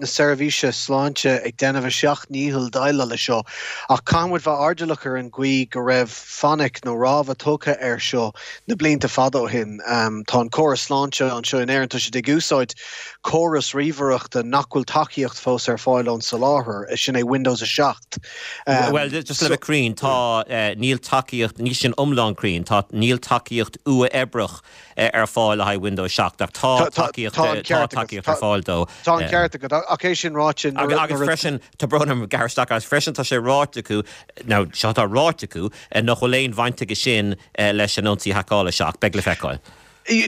Seirbhíse Sláinte ag déanamh a seacht ndícheall déileáil leis seo, ach caithfidh muid bheith airdeallach ar an gcaoi go raibh fainic nó rabhadh tugtha air seo na blianta fada ó shin. Tá an córas sláinte anseo in Éirinn, tá siad ag úsáid córas ríomhaireachta nach bhfuil tacaíocht fós ar fáil ón soláthar, sin é Windows a seacht. Bhuel, just le bheith cruinn, tá, níl tacaíocht, níl sin iomlán cruinn, tá, níl tacaíocht uathoibríoch ar fáil le haghaidh Windows seacht ach tá tacaíocht tá tacaíocht ar fáil dó. Tá an ceart agat, ach é sin ráite nuair a. Agus freisin, tá brón orm gearradh isteach, agus freisin tá sé ráite acu, nó seo atá ráite acu, nach bhfuil aon bhaint aige sin leis an ionsaí haiceála seo ach beidh le feiceáil.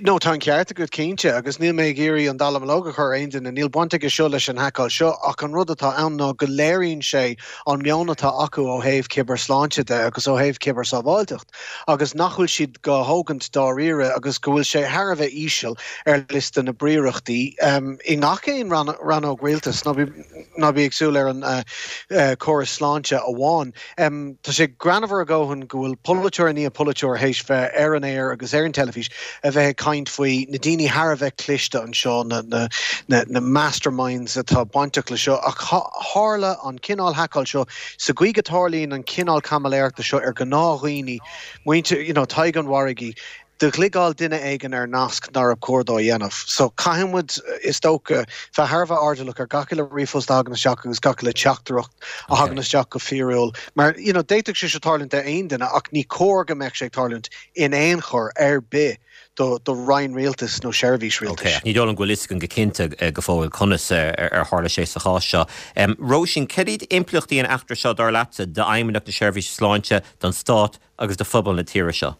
No, tá an ceart agat cinnte, agus níl mé ag iarraidh an dallamullóg a chur ar aon duine, níl baint aige seo leis an haiceáil seo, ach an rud atá ann ná go léiríonn sé an meon atá acu ó thaobh cibearsláinte de agus ó thaobh cibearshábháilteacht. agus nach bhfuil siad dhá thógaint dáiríre agus go bhfuil sé thar a bheith íseal ar liosta na bpríorachtaí i ngach aon rannóg rialtais, ná bí ag súil ar an córas sláinte amháin. Tá sé greannmhar a dhóthain go bhfuil polaiteoir i ndiaidh polaiteoir théis bheith ar an aer agus ar an teilifís a bheith ag caint faoi na daoine thar a bheith cliste anseo, na masterminds atá bainteach le seo, ach tharla an cineál haiceáil seo sa gcaoi go dtarlaíonn an cineál caimiléireachta seo ar ghnáthdhaoine, muintir, you know, Tadhg an Mhargaidh, do chliogáil duine éigin ar nasc nár chóir dó a dhéanamh. So caithfidh muid, is dócha, bheith thar a bheith airdeallach ar gach uile ríomhphost a thagann isteach agus gach uile teachtaireacht a thagann isteach go fíorúil. Mar, you know, d'fhéadfadh sé seo tarlúint d'aon duine ach ní cóir go mbeadh sé ag tarlúint in aon chor ar bith do do roinn rialtais nó seirbhís rialtais. Ok, ní dóigh liom go bhfuil fhios againn go cinnte go fóill conas ar tharla sé sa chás seo. Róisín, cad iad impleachtaí an eachtra seo dar leatsa d'Fheidhmeannacht na Seirbhíse Sláinte, don Stát agus do phobal na tíre seo?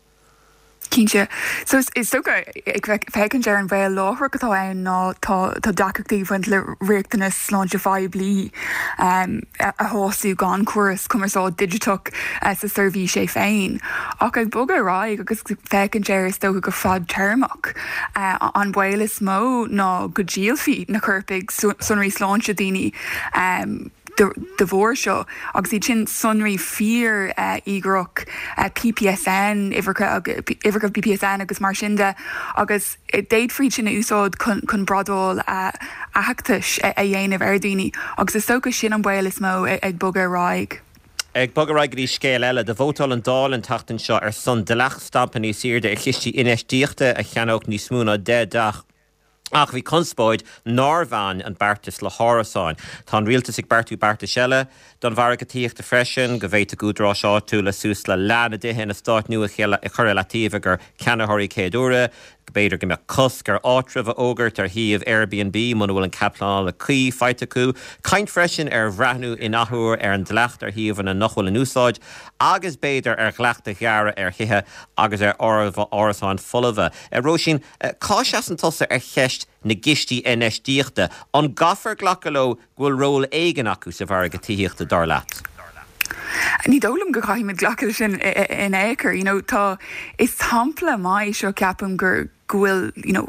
Cinnte. So is dócha ag féachaint ar an bhaol láithreach atá ann ná tá tá deacrachtaí ag baint le riachtanas sláinte phoiblí a shású gan córas cumarsáid digiteach sa seirbhís é féin. Ach ag bogadh ar aghaidh agus féachaint air is dócha go fadtéarmach, an baol is mó ná go ndíolfaí na coirpigh sonraí sláinte daoine. de bharr seo agus iad sin sonraí fíor íograch P P S N, uimhreacha P P S N agus mar sin de, agus d'fhéadfaí sin a úsáid chun bradáil aitheantais a dhéanamh ar daoine, agus is dócha sin an baol is mó ag bogadh ar aghaidh. Ag bogadh ar aghaidh go dtí scéal eile, do vótáil an Dáil an tseachtain seo ar son dleacht stampa níos airde ar chistí infheistíochta a cheannódh níos mó ná deich dteach. Ach bhí conspóid nár bhain an beartas le hárasáin. Tá an rialtas ag beartú beartais eile don mhargadh tithíochta freisin, go bhféadfadh údaráis áitiúla suas le leath na dtithe in eastáit nua a chur i leataobh ag ceannaitheoirí céad uaire, b'fhéidir go mbeadh cosc ar áitreabh a fhógairt ar shuíomh Airbnb muna bhfuil an cead pleanála cuí faighte acu. Caint freisin ar bhreathnú in athuair ar an dleacht ar shuíomhanna nach bhfuil in úsáid agus b'fhéidir ar dhleacht a ghearradh ar thithe agus ar árasáin folmha. Róisín, cá seasann tusa ar cheist na gcistí infheistíochta, an gcaithfear glacadh leo go bhfuil ról éigin acu sa mhargadh tithíochta dar leat? Ní dóigh liom go gcaithfimid glacadh sin in aon chor, you know, tá is sampla maith seo ceapaim gur go bhfuil you know,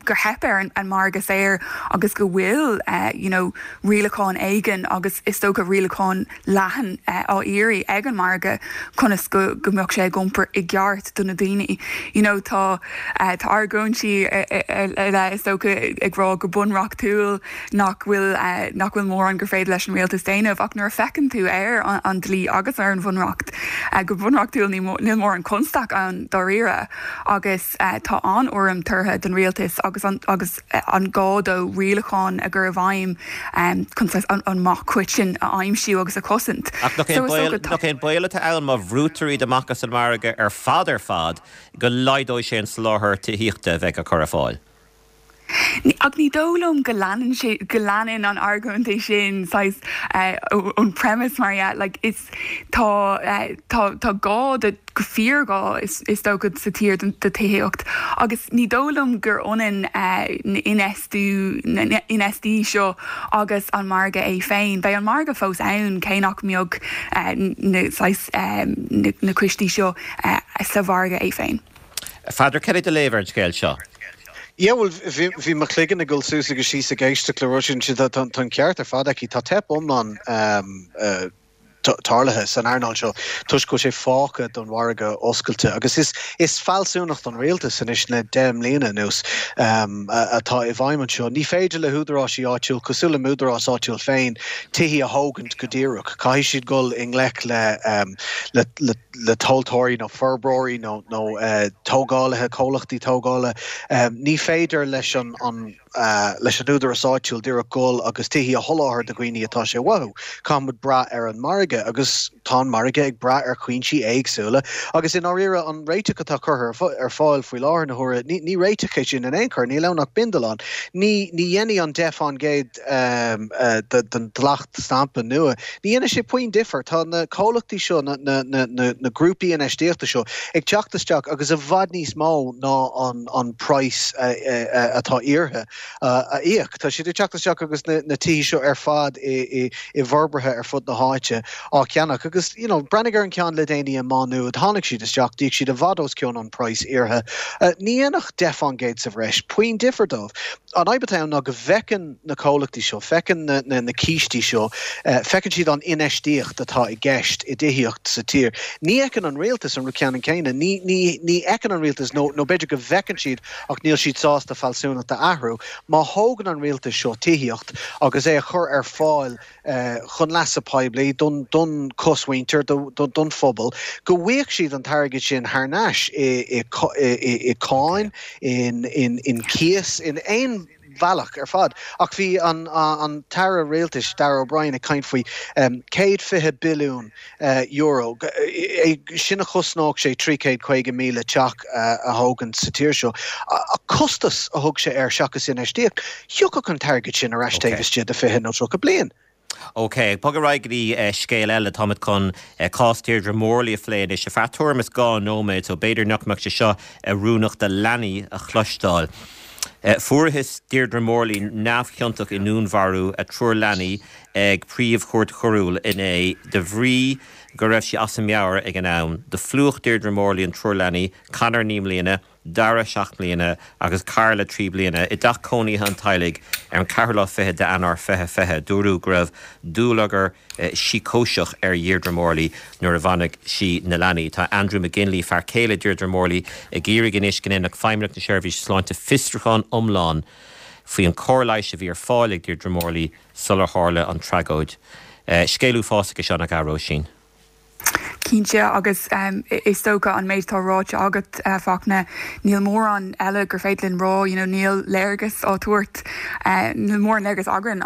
gur theip ar an, an margadh saor agus go bhfuil uh, you know, rialachán éigin agus is dócha rialachán leathan uh, á iarraidh ag an margadh conas go go mbeadh sé ag iompar i gceart do na daoine. You know, tá uh, tá argóintí le is dócha ag rá go bunreachtúil nach bhfuil uh, nach bhfuil mórán gur féidir leis an rialtas déanamh ach nuair a fheiceann tú ar an, an dlí agus ar an bhunreacht uh, go bunreachtúil níl mórán constaic ann dáiríre agus uh, tá an urraim tugtha don rialtas agus an, agus an gá dó rialachán a chur i bhfeidhm um, chun an, an mac coiteann a aimsiú agus a chosaint. Ach nach é baol atá ann má bhrúitear iad amach as an margadh ar fad ar fad go laghdóidh sé an soláthar tithíochta a bheidh á chur ar fáil. Ach ní dóigh liom go leanann sé go leanann an argóint é sin ón premise mar yeah, like is tá uh, tá tá gá de go fíorghá is, is dócha sa tír do tithíocht agus ní dóigh liom gur ionann uh, infheistiú infheistí seo agus an margadh é féin. Beidh an margadh fós ann cé nach mbeadh uh, na, um, na, na cistí seo uh, sa mhargadh é féin. Pheadair, cad é do léamh ar an scéal seo. Ja well bhí mo chloigeann ag dul suas agus síos ag éisteacht le Róisín tá an ceart ar fad aici tá teip iomlán um, uh, tarlaithe san earnáil seo toisc go sé fágtha don mhargadh oscailte agus is is fealsúnacht an rialtas anois le deich mbliana anuas um, atá i bhfeidhm anseo. Ní féidir le húdaráis áitiúil cosúil le m'údarás áitiúil féin tithe a thógaint go díreach. Caithfidh siad dul i ngleic le, um, le, le, le tomhaltóirí nó forbróirí nó nó uh, tógálaithe comhlachtaí tógála. Um, ní féidir leis an, an uh, leis an údarás áitiúil díreach dul agus tithe a sholáthar do dhaoine atá sé uathu. Caithfimid brath ar an margadh agus tá an margadh ag brath ar chúinsí éagsúla agus in áirithe an réiteach atá curtha ar fáil faoi láthair na huaire ní, ní réiteach é sin in aon chor, níl ann ach bindealán. Ní ní dhéanfaidh an deich faoin gcéad um, uh, den dleacht stampa nua. Ní dhéanfaidh sé puinn difear tá na comhlachtaí seo na, na, na, na, na grúpaí infheistíochta seo ag teacht isteach agus i bhfad níos mó ná an, an price uh, uh, atá iarrtha uh, a íoc. Tá siad ag teacht isteach agus na, na tithe seo ar fad i, i, i bhforbartha ar fud na háite á cheannach agus you know, breathnaigh ar an ceann le déanaí i Má Nuad tháinig siad isteach d'íoc siad i bhfad os cionn an price iarrtha. Uh, ní dhéanfadh deich faoin gcéad sa bhreis puinn difear dóibh. An fhadhb atá ná go bhfeiceann na comhlachtaí seo, feiceann na, na, na cistí seo, uh, feiceann siad an infheistíocht atá i gceist i dtithíocht sa tír. Ní fheiceann an rialtas an rud ceannann céanna, ní, ní, ní fheiceann an rialtas nó nó b'fhéidir go bhfeiceann siad ach níl siad sásta fealsúnacht a athrú, má thógann an rialtas seo tithíocht agus é a chur ar fáil uh, chun leasa poiblí don don chosmhuintir don, don phobal, go bhfaighidh siad an t-airgead sin thar n-ais i, i, i, i cáin, in, in, in cíos, in aon bhealach ar fad. Ach bhí an, an tAire Rialtais Darragh O'Brien ag caint faoi um, céad fiche billiún uh, euro. Sin a chosnódh sé trí chéad caoga míle teach uh, a thógaint sa tír seo. A costas a thug sé air seachas infheistíocht, thiocfadh an t-airgead sin ar ais taobh istigh de fiche nó tríocha bliain. Ok, bog ar aghaidh go dtí uh, scéal eile táimid chun uh, cás Deirdre Morley a phlé anois ar feadh tuairim is dhá nóiméad, so b'fhéidir nach mbeadh sé seo oiriúnach do leanaí a chloisteáil. Uh, Fuarthas Deirdre Morley neamhchiontach i ndúnmharú a triúr leanaí ag príomhchúirt choiriúil inné de bhrí go raibh sí as a meabhair ag an am. Do phlúch Deirdre Morley an triúr leanaí, Conor naoi mbliana, Dara seacht mbliana agus Carla trí bliana i dteach cónaithe an teaghlaigh ar an ceathrú lá fichead d'Eanáir fiche fiche. Dúradh go raibh dúlagar sícóiseach ar Dheirdre Morley nuair a bhunaigh sí na leanaí. Tá Andrew McGinley, fear céile Deirdre Morley, ag iarraidh anois go ndéanfadh Feidhmeannacht na Seirbhíse Sláinte fiosrúchán iomlán faoi an chóir leighis a bhí ar fáil ag Deirdre Morley sular tharla an tragóid. Scéal uafásach é seo nach ea, Róisín? Cinnte agus um, is dócha an méid atá ráite agat uh, Fachtna níl mórán eile gur féidir linn rá you know, níl léargas á tabhairt uh, níl mórán léargas againn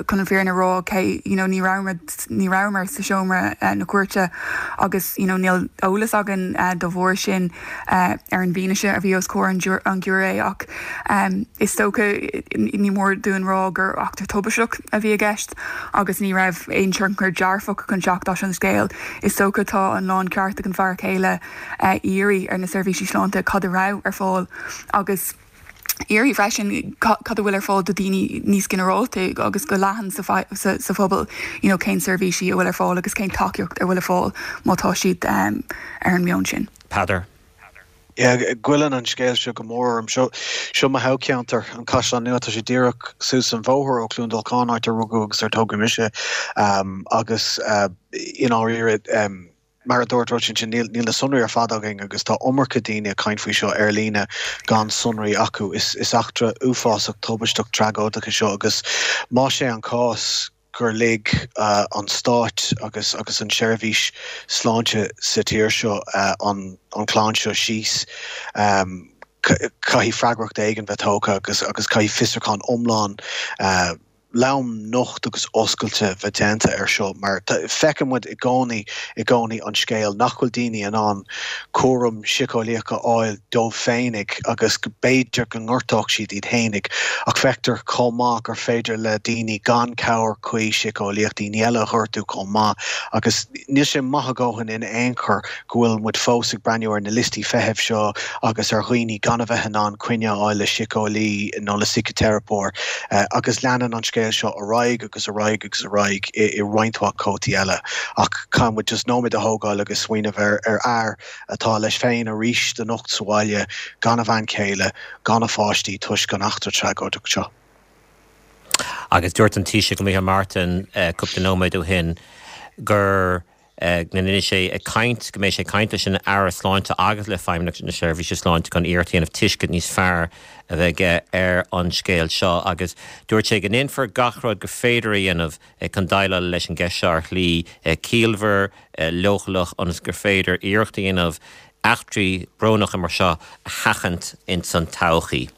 chun an fhírinne a rá cé you know, ní rabhamar ní rabhamar sa seomra uh, na cúirte agus you know, níl eolas againn uh, dá bharr sin uh, ar an bhfianaise a bhí os comhair an, an giúiré ach um, is dócha ní mór dúinn rá gur eachtra tubaisteach a bhí i gceist agus ní raibh aon tionchar dearfach chun teacht as an scéal. Is dócha tá an láncheart ag an bhfear céile uh, iarraidh ar na seirbhísí sláinte cad a raibh ar fáil agus iarraidh freisin cad a bhfuil ar fáil do daoine níos ginearálta agus go leathan sa, sa, sa phobal you know, cén seirbhísí a bhfuil ar fáil agus cén tacaíocht a bhfuil ar fáil má tá siad um, ar an meon sin. Peadar. Yeah, goilleann an scéal seo go mór orm seo seo mo thoghcheantar an Caisleán Nua tá sé díreach suas an bhóthar ó Cluain Dolcáin áit ar rugadh agus ar tógadh mise um, agus uh, in áiríre um, mar a dúirt Róisín sin níl níl na sonraí ar fad againn agus tá iomarca daoine ag caint faoi seo ar líne gan sonraí acu is is eachtra uafásach tubaisteach tragóideach é seo agus más é an cás gur lig uh, an stát agus agus an seirbhís sláinte sa tír seo uh, an an chlann seo síos um, caithfidh freagracht éigin bheith tógtha agus agus caithfidh fiosrúchán iomlán uh, lom nocht agus oscailte bheith déanta ar seo mar feiceann muid i gcónaí i gcónaí an scéal nach bhfuil daoine in ann cúram síceolaíoch a fháil dóibh féinig agus go b'fhéidir go ngortódh siad iad féinig ach feictear chomh maith gur féidir le daoine gan cabhair chuí síceolaíoch daoine eile a ghortú chomh maith agus níl sé maith a dhóthain in aon chor go bhfuil muid fós ag breathnú ar na liostaí feithimh seo agus ar dhaoine gan a bheith in ann coinne a fháil le síceolaí nó le síciteiripeoir eh, agus leanann an scéal seo ar aghaidh agus ar aghaidh agus ar aghaidh i, i roinnt mhaith cótaí eile ach caithfidh muid just nóiméad a thógáil agus smaoineamh ar ar fhear atá leis féin arís anocht sa bhaile gan a bhean chéile gan a pháistí toisc an eachtra tragóideach seo. Agus dúirt an Taoiseach Micheál Martin uh, cúpla nóiméad ó shin gur uh, mbeidh sé ag caint go mbeidh sé ag caint leis an Aire Sláinte agus le Feidhmeannacht na Seirbhíse Sláinte chun iarracht a dhéanamh tuiscint níos fearr a bheith ar an scéal seo agus dúirt sé go ndéanfar gach rud gur féidir a dhéanamh chun déileáil leis an gceist seo ar shlí ciallmhar leochaileach ionas gur féidir iarracht a dhéanamh eachtraí brónacha mar seo a sheachaint in san todhchaí.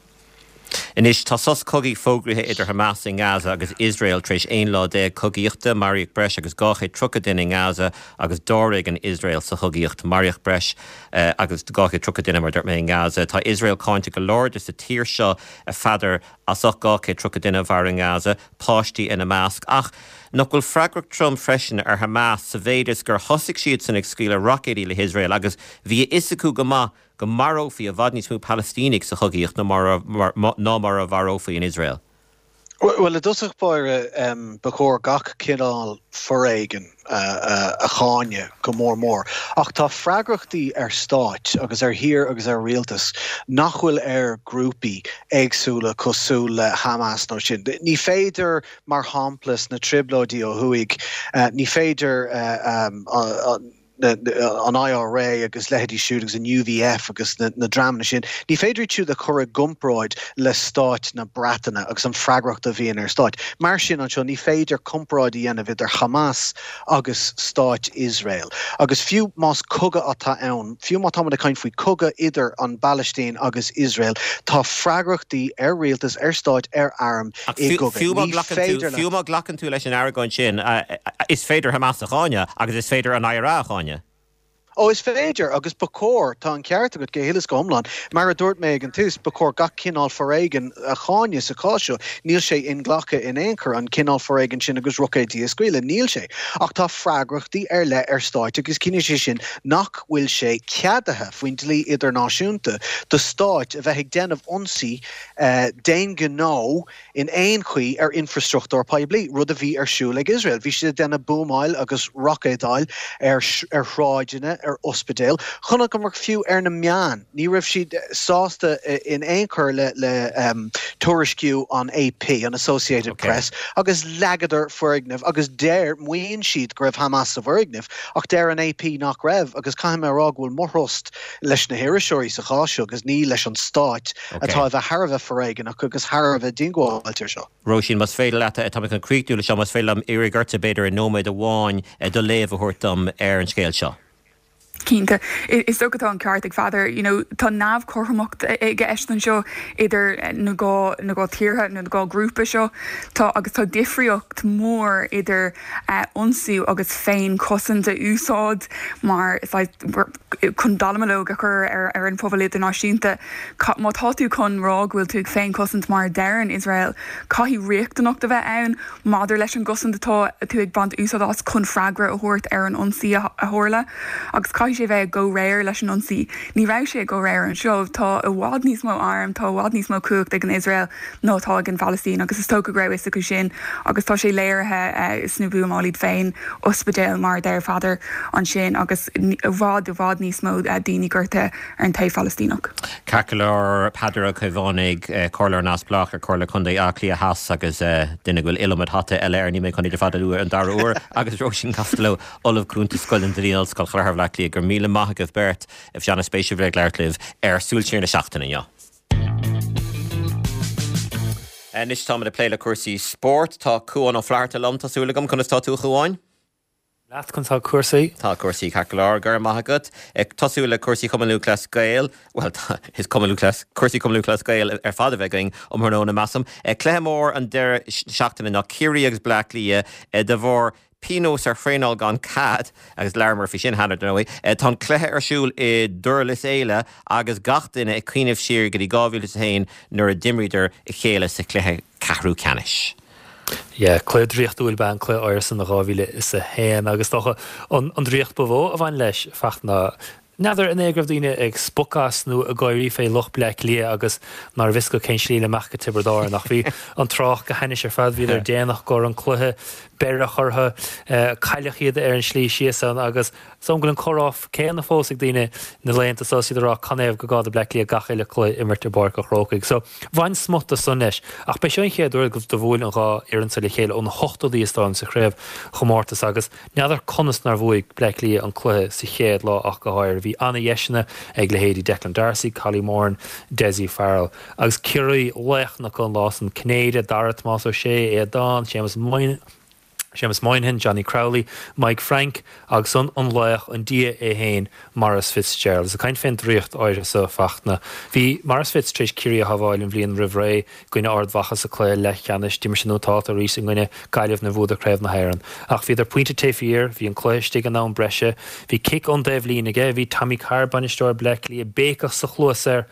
Anois tá sos cogaidh fógraithe idir Hamas i nGaza agus Iosrael tar éis aon lá déag cogaíochta maraíodh breis agus dhá chéad tríocha duine i nGaza agus dáréag in Iosrael sa chogaíocht maraíodh breis uh, agus dhá chéad tríocha duine mar a dúirt mé i nGaza. Tá Iosrael cáinte go láidir sa tír seo a Pheadair as ucht dhá chéad tríocha duine a mharú i nGaza, páistí ina measc ach nach bhfuil freagracht trom freisin ar Hamas sa mhéid is gur thosaigh siad san ag scaoileadh roicéidí le hIosrael agus bhí a fhios acu go maith go marófaí i bhfad níos mó Palaistínigh sa chogaíocht ná mar a mharófaí in Iosrael. Well i dtosach báire um, ba chóir gach cineál foréigean uh, uh, a cháineadh go mór mór. Ach tá freagrachtaí ar stáit agus ar thír agus ar rialtas nach bhfuil ar grúpaí éagsúla cosúil le Hamas nó sin. Ní féidir mar shampla na trioblóidí ó thuaidh, uh, ní féidir uh, um, uh, an IRA agus leithéidí siúd agus an UVF agus na, na dreamanna sin. Ní féidir siúd a chur i gcomparáid le stáit na Breataine agus an freagracht a bhíonn ar stáit. Mar sin anseo ní féidir comparáid a dhéanamh idir Hamas agus stáit Israel. Agus fiú más cogadh atá ann, fiú má tá ag caint faoi cogadh idir an Phalaistín agus Israel, tá freagrachtaí ar rialtas ar stáit ar arm i Fiú má ghlacann tú leis an argóint sin is féidir Hamas a cháineadh agus is féidir an IRA a cháineadh. Ó is féidir agus ba chóir tá an ceart agat go huile is go hiomlán, mar a dúirt mé ag an tús ba chóir gach cineál foréigean a cháineadh sa chás seo, níl sé inghlactha in aon chor an cineál foréigean sin agus roicéidí a scaoileadh níl sé. Ach tá freagrachtaí ar leith ar stáit agus ciallaíonn sé sin nach bhfuil sé ceadaithe faoin dlí idirnáisiúnta do stáit a bheith ag déanamh ionsaí uh, d'aon ghnó in aon chaoi ar infrastruchtúr poiblí, rud a bhí ar siúl ag Israel. Bhí siad ag déanamh buamáil agus roicéadáil ar ar shráideanna, ar ospidéil, chonaiceamar fiú ar na meáin, ní raibh siad sásta in aon chor le le um, tuairisciú an AP, an Associated okay. Press, agus leagadar foirgneamh agus deir maíonn siad go raibh Hamas sa bhfoirgneamh, ach deir an AP nach raibh agus caithfidh mé a rá go bhfuil mo thrust leis na hiriseoirí sa chás seo agus ní leis an stát okay. atá bheith thar a bheith foréigeanach agus thar a bheith diongbháilte seo. Róisín más féidir leat tá chun críochnú seo más féidir liom iarraidh ort b'fhéidir i nóiméad amháin do léamh a thabhairt dom ar an scéal seo. Cinnte is dócha tá an ceart ag Peadar you know, tá neamhchothromacht i gceist anseo idir na dhá na dhá tíortha na dhá grúpa seo tá agus tá difríocht mór idir uh, ionsaí agus féinchosaint a úsáid mar chun dallamullóg a chur ar ar an pobal idirnáisiúnta má tá tú chun rá go bhfuil tú féinchosaint mar deireann Israel caithfidh riachtanacht a bheith ann maidir leis an gcosaint atá tú ag baint úsáid as chun freagra a thabhairt ar an ionsaí a tharla agus caithfidh sé bheith i gcomhréir leis an ionsaí. Ní raibh sé i gcomhréir anseo tá i bhfad níos mó arm tá i bhfad níos mó cumhacht ag an Israel ná tá ag an Phalaistín agus is dócha go raibh fhios acu sin agus tá sé léirithe uh, sna buamáil iad féin ospidéal mar deir Peadar ansin agus i bhfad i bhfad níos mó uh, daoine gortaithe ar an taobh Phalaistíneach. Ceart go leor Peadar Ó Caomhánaigh comhairleoir neamhspleách ar Chomhairle Contae Átha Cliath Theas agus duine go bhfuil iliomad hata eile air níl mé chun iad ar fad a lua an dara huair agus Róisín Costello Ollamh Cúnta Scoil an Dlí Ollscoil Chathair Bhaile Átha Cliath go raibh míle maith agaibh beirt bhí sé an-spéisiúil ag labhairt libh ar Súil Siar na seachtaine inniu. Anois táimid ag plé le cúrsaí spóirt tá Cuán Ó Flatharta liom tá súil agam conas tá tú a Chuáin? Leat conas tá cúrsaí? Tá cúrsaí ceart go leor go raibh maith agat ag tosú le cúrsaí Chumann Lúthchleas Gael, well is Cumann Lúthchleas cúrsaí Chumann Lúthchleas Gael ar fad a bheidh againn um thráthnóna measaim. Cluiche mór an deireadh seachtaine ná Ciarraí agus Bleá Cliath de bharr pionós ar thraenáil gan cead agus labhramar faoi sin cheana dar ndóigh. Tá an cluiche ar siúl i nDurlas Éile agus gach duine ag cuimhneamh siar go dtí dhá mhíle is a haon nuair a d'imríodar a chéile sa chluiche ceathrú ceannais. Yeah, cluiche draíochtúil ba ea an cluiche áirithe san dhá mhíle is a haon agus dócha an an draíocht ba mhó a bhain leis feacht ná n'fheadar an é go raibh daoine ag spochadh as nó ag gáirí fé lucht Bleá Cliath agus nárbh fhios acu cén slí le imeacht go Tiobraid Árann ach bhí an trácht go hainnis ar fad bhíodar déanach go an cluiche beireadh orthu cailleadh iad ar an slí síos ann agus is dóigh go bhfuil an comhrá céanna fós ag daoine na laethanta seo is iad ag rá canathaobh gur gá do Bleá Cliath gach uile cluiche imirt i bPáirc an Chrócaigh. So bhain smut de san leis. Ach b'é seo an chéad uair do bhuail an dhá fhoireann seo le chéile ó na hochtóidí is dóigh liom sa chraobhchomórtas agus n'fheadar conas nár bhuaigh Bleá Cliath an cluiche sa chéad lá ach go háirithe. Bhí ana-dheiseanna ag leithéidí Declan Darcy, Collie Moran, Dessie Farrell agus Ciarraí laoch na an lá san Cinnéide, Dara Tomás Ó Sé, Aodán, Séamus Moynihan, Séamus Moynihan, Johnny Crowley, Mike Frank agus an an laoch an dia é féin Maurice Fitzgerald. Is ag caint fén draíocht áirithe seo Fachtna. Bhí Maurice Fitz tar éis Ciarraí a shábháil an bhliain roimh ré i gcoinne Ard Mhacha sa chluiche leathcheannais, d'imir sé nótálta arís i gcoinne Gaillimh nuair a bhuadar Craobh na hÉireann. Ach bhíodar pointe taobh thiar, bhí an cluiche istigh in am breise, bhí cic ón dtaobhlíne aige, bhí Tommy Carr, bainisteoir Bleá Cliath, béiceach sa chluas air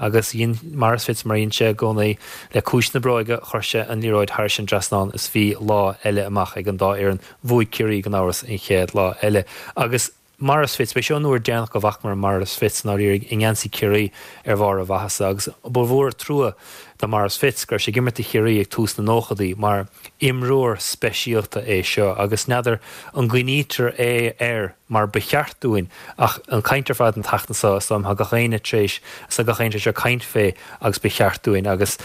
agus dhein Maurice Fitz mar a dhein sé i gcónaí le cúis na bróige chuir sé an liathróid thairis an dtrasnán is bhí lá eile amach ag an dá fhoireann. Bhuaigh Ciarraí gan amhras an chéad lá eile. Agus Maurice Fitz, b'é seo an uair deireanach go bhfacamar Maurice Fitz ndáiríre i ngeansaí Chiarraí ar bharr a mhaitheasa agus ba mhór trua do Maurice Fitz go raibh sé ag imirt do Chiarraí ag tús na nóchaidí mar imreoir speisialta é seo agus n'fheadar an gcuimhnítear é air mar ba cheart dúinn ach an caint ar fad an tseachtain seo is dóigh liom tá gach éinne tar éis tá gach éinne tar éis caint fé agus ba cheart dúinn agus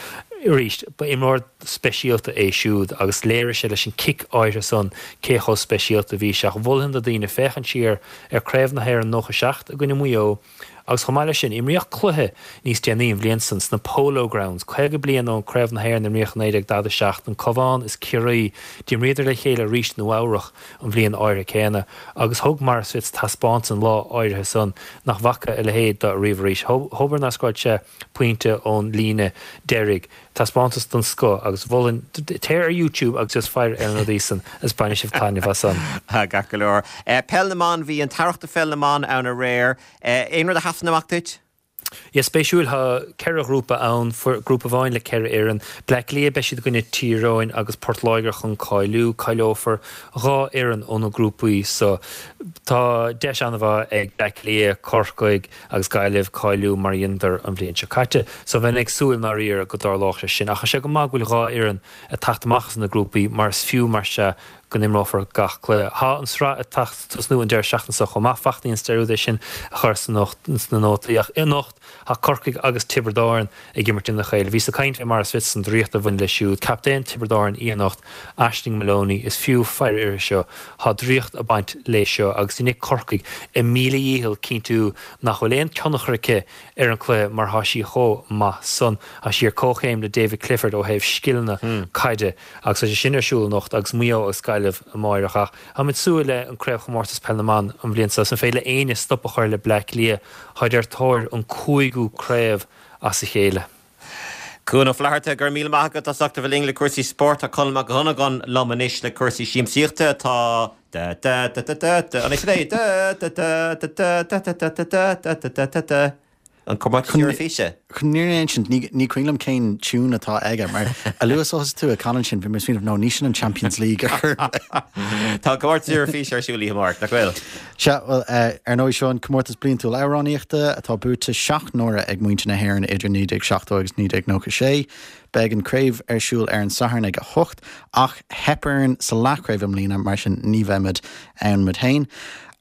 arís ba imreoir speisialta é siúd agus léirigh sé leis an cic áirithe san cé chomh speisialta bhí sé ach mholfainn do daoine féachaint siar ar Craobh na hÉireann nócha seacht i gcoinne Mhaigh Eo agus chomh maith leis sin imríodh cluiche níos déanaí an bhliain san sna Polo Grounds caoga bliain ón Craobh na hÉireann imríodh naoi déag daichead a seacht an Cabhán is Ciarraí d'imríodar le chéile arís i Nua Eabhrach an bhliain áirithe céanna agus thug Maurice Fitz taispeántas an lá áirithe san nach bhfaca a leithéid de riamh arís. Hobair nár scóráil sé pointe ón líne deiridh. Taispeántas den scoth agus mholfainn téir ar YouTube agus just faire ar na rudaí san is bainfidh sibh taitneamh as san. Ceart go leor. Peil na mban bhí an t-earrach de pheil na mban ann aréir. Aon rud a sheasann amach duit? Yeah, spéisiúil tá ceithre ghrúpa ann, grúpa amháin le ceithre fhoireann. Bleá Cliath beidh siad i gcoinne Tír Eoghain agus Port Láirge chun cáiliú. Cáileofar dhá fhoireann ó na grúpaí so. Tá deis an-mhaith ag Bleá Cliath, Corcaigh agus Gaillimh cáiliú mar a dheineadar an bhliain seo caite. So bheinn ag súil ndáiríre go dtarlódh sé sin. Ach tá sé go maith go bhfuil dhá fhoireann ag teacht amach as na grúpaí mar is fiú mar sea go n-imreofar gach cluiche. Tá an sraith ag tosnú an deireadh seachtaine seo chomh maith, Fachtna déan dearúd é sin a chur sna nótaí ach anocht tá Corcaigh agus Tiobraid Árann ag imirt ina chéile. Bhíos ag caint le mar is fios an draíocht a bhain leis siúd. Captaen Tiobraid Árann í anocht, Aisling Moloney, is fiú faire uirthi seo. Tá draíocht ag baint léi seo agus déanfaidh Corcaigh a míle dhícheall cinntiú nach bhfuil aon tionchar aici ar an cluiche mar tá sí chomh maith san. Tá sí ar comhchéim le David Clifford ó thaobh scileanna caide agus tá sé sin ar siúl anocht agus Maigh Eo agus Gaillimh amáireach ach táimid súil le an Craobhchomórtas Peil na mBan an bhliain seo. An féidir le éinne stop a chur le Bleá Cliath? Táid ar tóir an cúigiú craobh as a chéile. Cuan Ó Flatharta, go raibh míle maith agat as ucht a bheith linn le cúrsaí spóirt. Tá Conall Mac Dhonnagáin liom anois le cúrsaí siamsaíochta. Tá da da da da da da an é sin é? Da da da da da da da da da da da da da da An Comórtas Eoraifíse. Chun an fhírinne a insint, ní ní cuimhin liom cén tiún atá aige, mar a luaithe is a thosaigh tú ag canadh ansin, bhí mé ag smaoineamh, no, ní sin an Champions League ar chor ar bith. Tá an Comórtas Eoraifíse ar siúl oíche amárach, nach bhfuil? Sea, bhuel, ar ndóigh, seo an comórtas bliantúil amhránaíochta atá buaite seacht n-uaire ag muintir na hÉireann idir naoi déag seachtó agus naoi déag nócha sé. Beidh an craobh ar siúl ar an Satharn ag a hocht, ach theip orainn sa leathchraobh i mbliana, mar sin ní bheimid ann muid féin.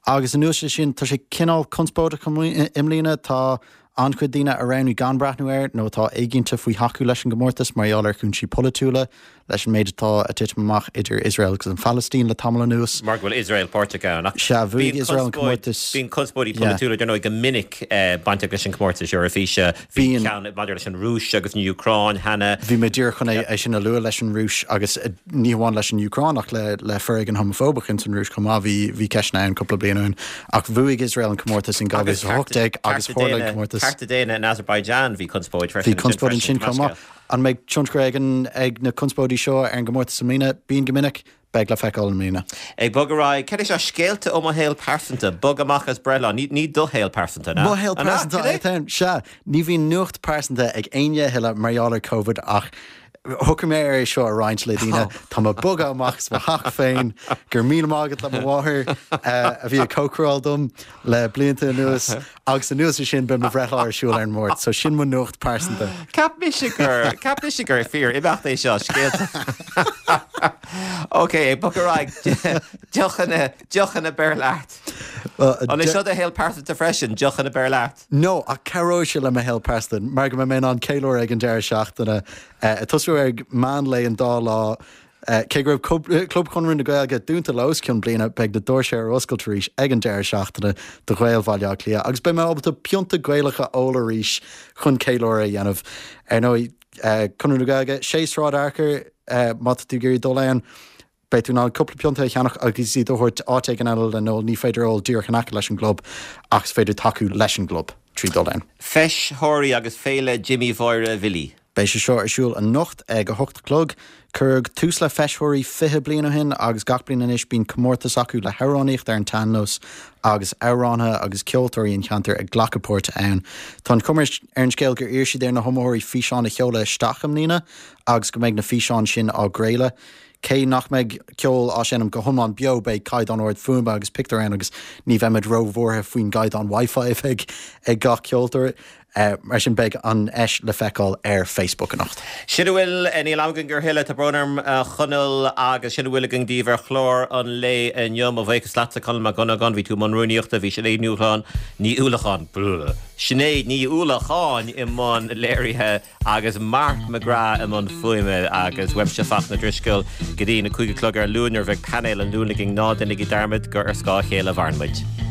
Agus anuas air sin, tá sé cineál conspóideach i mbliana, tá an-chuid daoine a roghnaigh gan breathnú air nó atá éiginnte faoi thacú leis an gcomórtas mar gheall ar chúinsí polaitiúla, leis an méid atá ag titim amach idir Iosrael agus an Phalaistín le tamall anuas. Mar go bhfuil Iosrael páirteach ann. Ach Sea, bhuaigh Iosrael an comórtas. Bíonn conspóidí polaitiúla, dar ndóigh, go minic bainteach leis an gcomórtas Eoraifíse. Bhí ceann maidir leis an Rúis agus an Úcráin cheana. Bhí mé díreach chun é sin a lua leis an Rúis agus ní hamháin leis an Úcráin ach le le foréigean homafóbach ins an Rúis chomh maith. Bhí bhí ceisteanna ann cúpla bliain ó shin. Ach bhuaigh Iosrael an comórtas in dhá mhíle is a hocht déag agus tharla an comórtas. Cearta daonna in Azerbaijan, bhí conspóid freisin. Bhí conspóid ansin chomh maith. An mbeidh tionchar ag an ag na conspóidí seo ar an gcomórtas i mbliana? Bíonn go minic. Beidh le feiceáil i mbliana. Ag bogadh ar aghaidh, cad é seo? Scéalta ó mo shaol pearsanta. Bog amach as breithlá. Ní ní do shaol pearsanta, an ea? Mo shaol pearsanta atá ann, sea. Ní bhíonn nuacht pearsanta ag éinne a thuilleadh mar gheall ar Covid ach shocraigh mé ar é seo a roinnt le daoine. Tá mé ag bogadh amach as mo theach féin. Go raibh míle maith agat le mo mháthair a bhí ag cócaráil dom le blianta anuas agus anuas air sin beidh mo bhreithlá ar siúl ar an Máirt. So sin mo nuacht pearsanta. Cheap mise gur, cheap mise gur fíor imeacht é seo, scéalta. Ok, ag bogadh ar aghaidh, deochanna, deochanna beir leat. An é seo do shaol pearsanta freisin, deochanna beir leat? No, ach cabhróidh sé le mo shaol pearsanta mar go mbeidh mé in ann ceiliúradh ag an deireadh seachtaine. Ag tosú ag meán lae an dá lá. Cé go raibh Club Chonradh na Gaeilge dúnta le os cionn bliana, beidh na doirse ar oscailt arís ag an deireadh seachtaine do Ghaeil Bhaile Átha Cliath agus beidh mé ábalta pionta Gaelach a ól arís chun ceiliúradh a dhéanamh. Ar ndóigh, Conradh na Gaeilge, sé Sráid Fhearchair, má tá tú ag iarraidh dul ann, beidh tú in ann cúpla pionta a cheannach agus iad a thabhairt áit éigin eile le n-ól. Ní féidir ól díreach in aice leis an gclub ach is féidir tacú leis an gclub trí dhul ann. Feis Thoraí agus Féile Jimí Mháire Bhilí. Beidh sé seo ar siúl anocht ag a hocht a chlog. Cuireadh tús le Feis Thoraí fiche bliain ó shin agus gach bliain anois bíonn comórtas acu le hamhránaíocht ar an tsean-nós agus amhránaithe agus ceoltóirí an cheantair ag glacadh páirte ann. Tá an chuma ar an scéal gur iarr siad ar na hiomaitheoirí físeáin a sheoladh isteach i mbliana agus go mbeidh na físeáin sin á gcraoladh. Cé nach mbeidh ceol á seinm go hiomlán beo, beidh caighdeán ard fuaime agus pictiúr ann agus ní bheimid róbhuartha faoin gcaighdeán Wi-Fi a bheidh ag gach ceoltóir. Mar sin beidh an fheis le feiceáil ar Facebook anocht. Sin a bhfuil, níl am againn a thuilleadh, tá brón orm a Chonaill, agus sin a bhfuil againn daoibh ar chlár an lae inniu. Mo bhuíochas leatsa Conall Mac Dhonnagáin, bhí tú i mbun rúnaíochta, bhí Sinéad Ní Uallacháin, Ní Uallacháin, Sinéad Ní Uallacháin i mbun léirithe agus Mark McGrath i mbun fuaime agus uaimse Fachtna Drisceoil go dtí na cúig a chlog ar Luan nuair a bheidh painéal an Luain againn. Ná déanaigí dearmad gur ar scáth a chéile a mhaireann muid.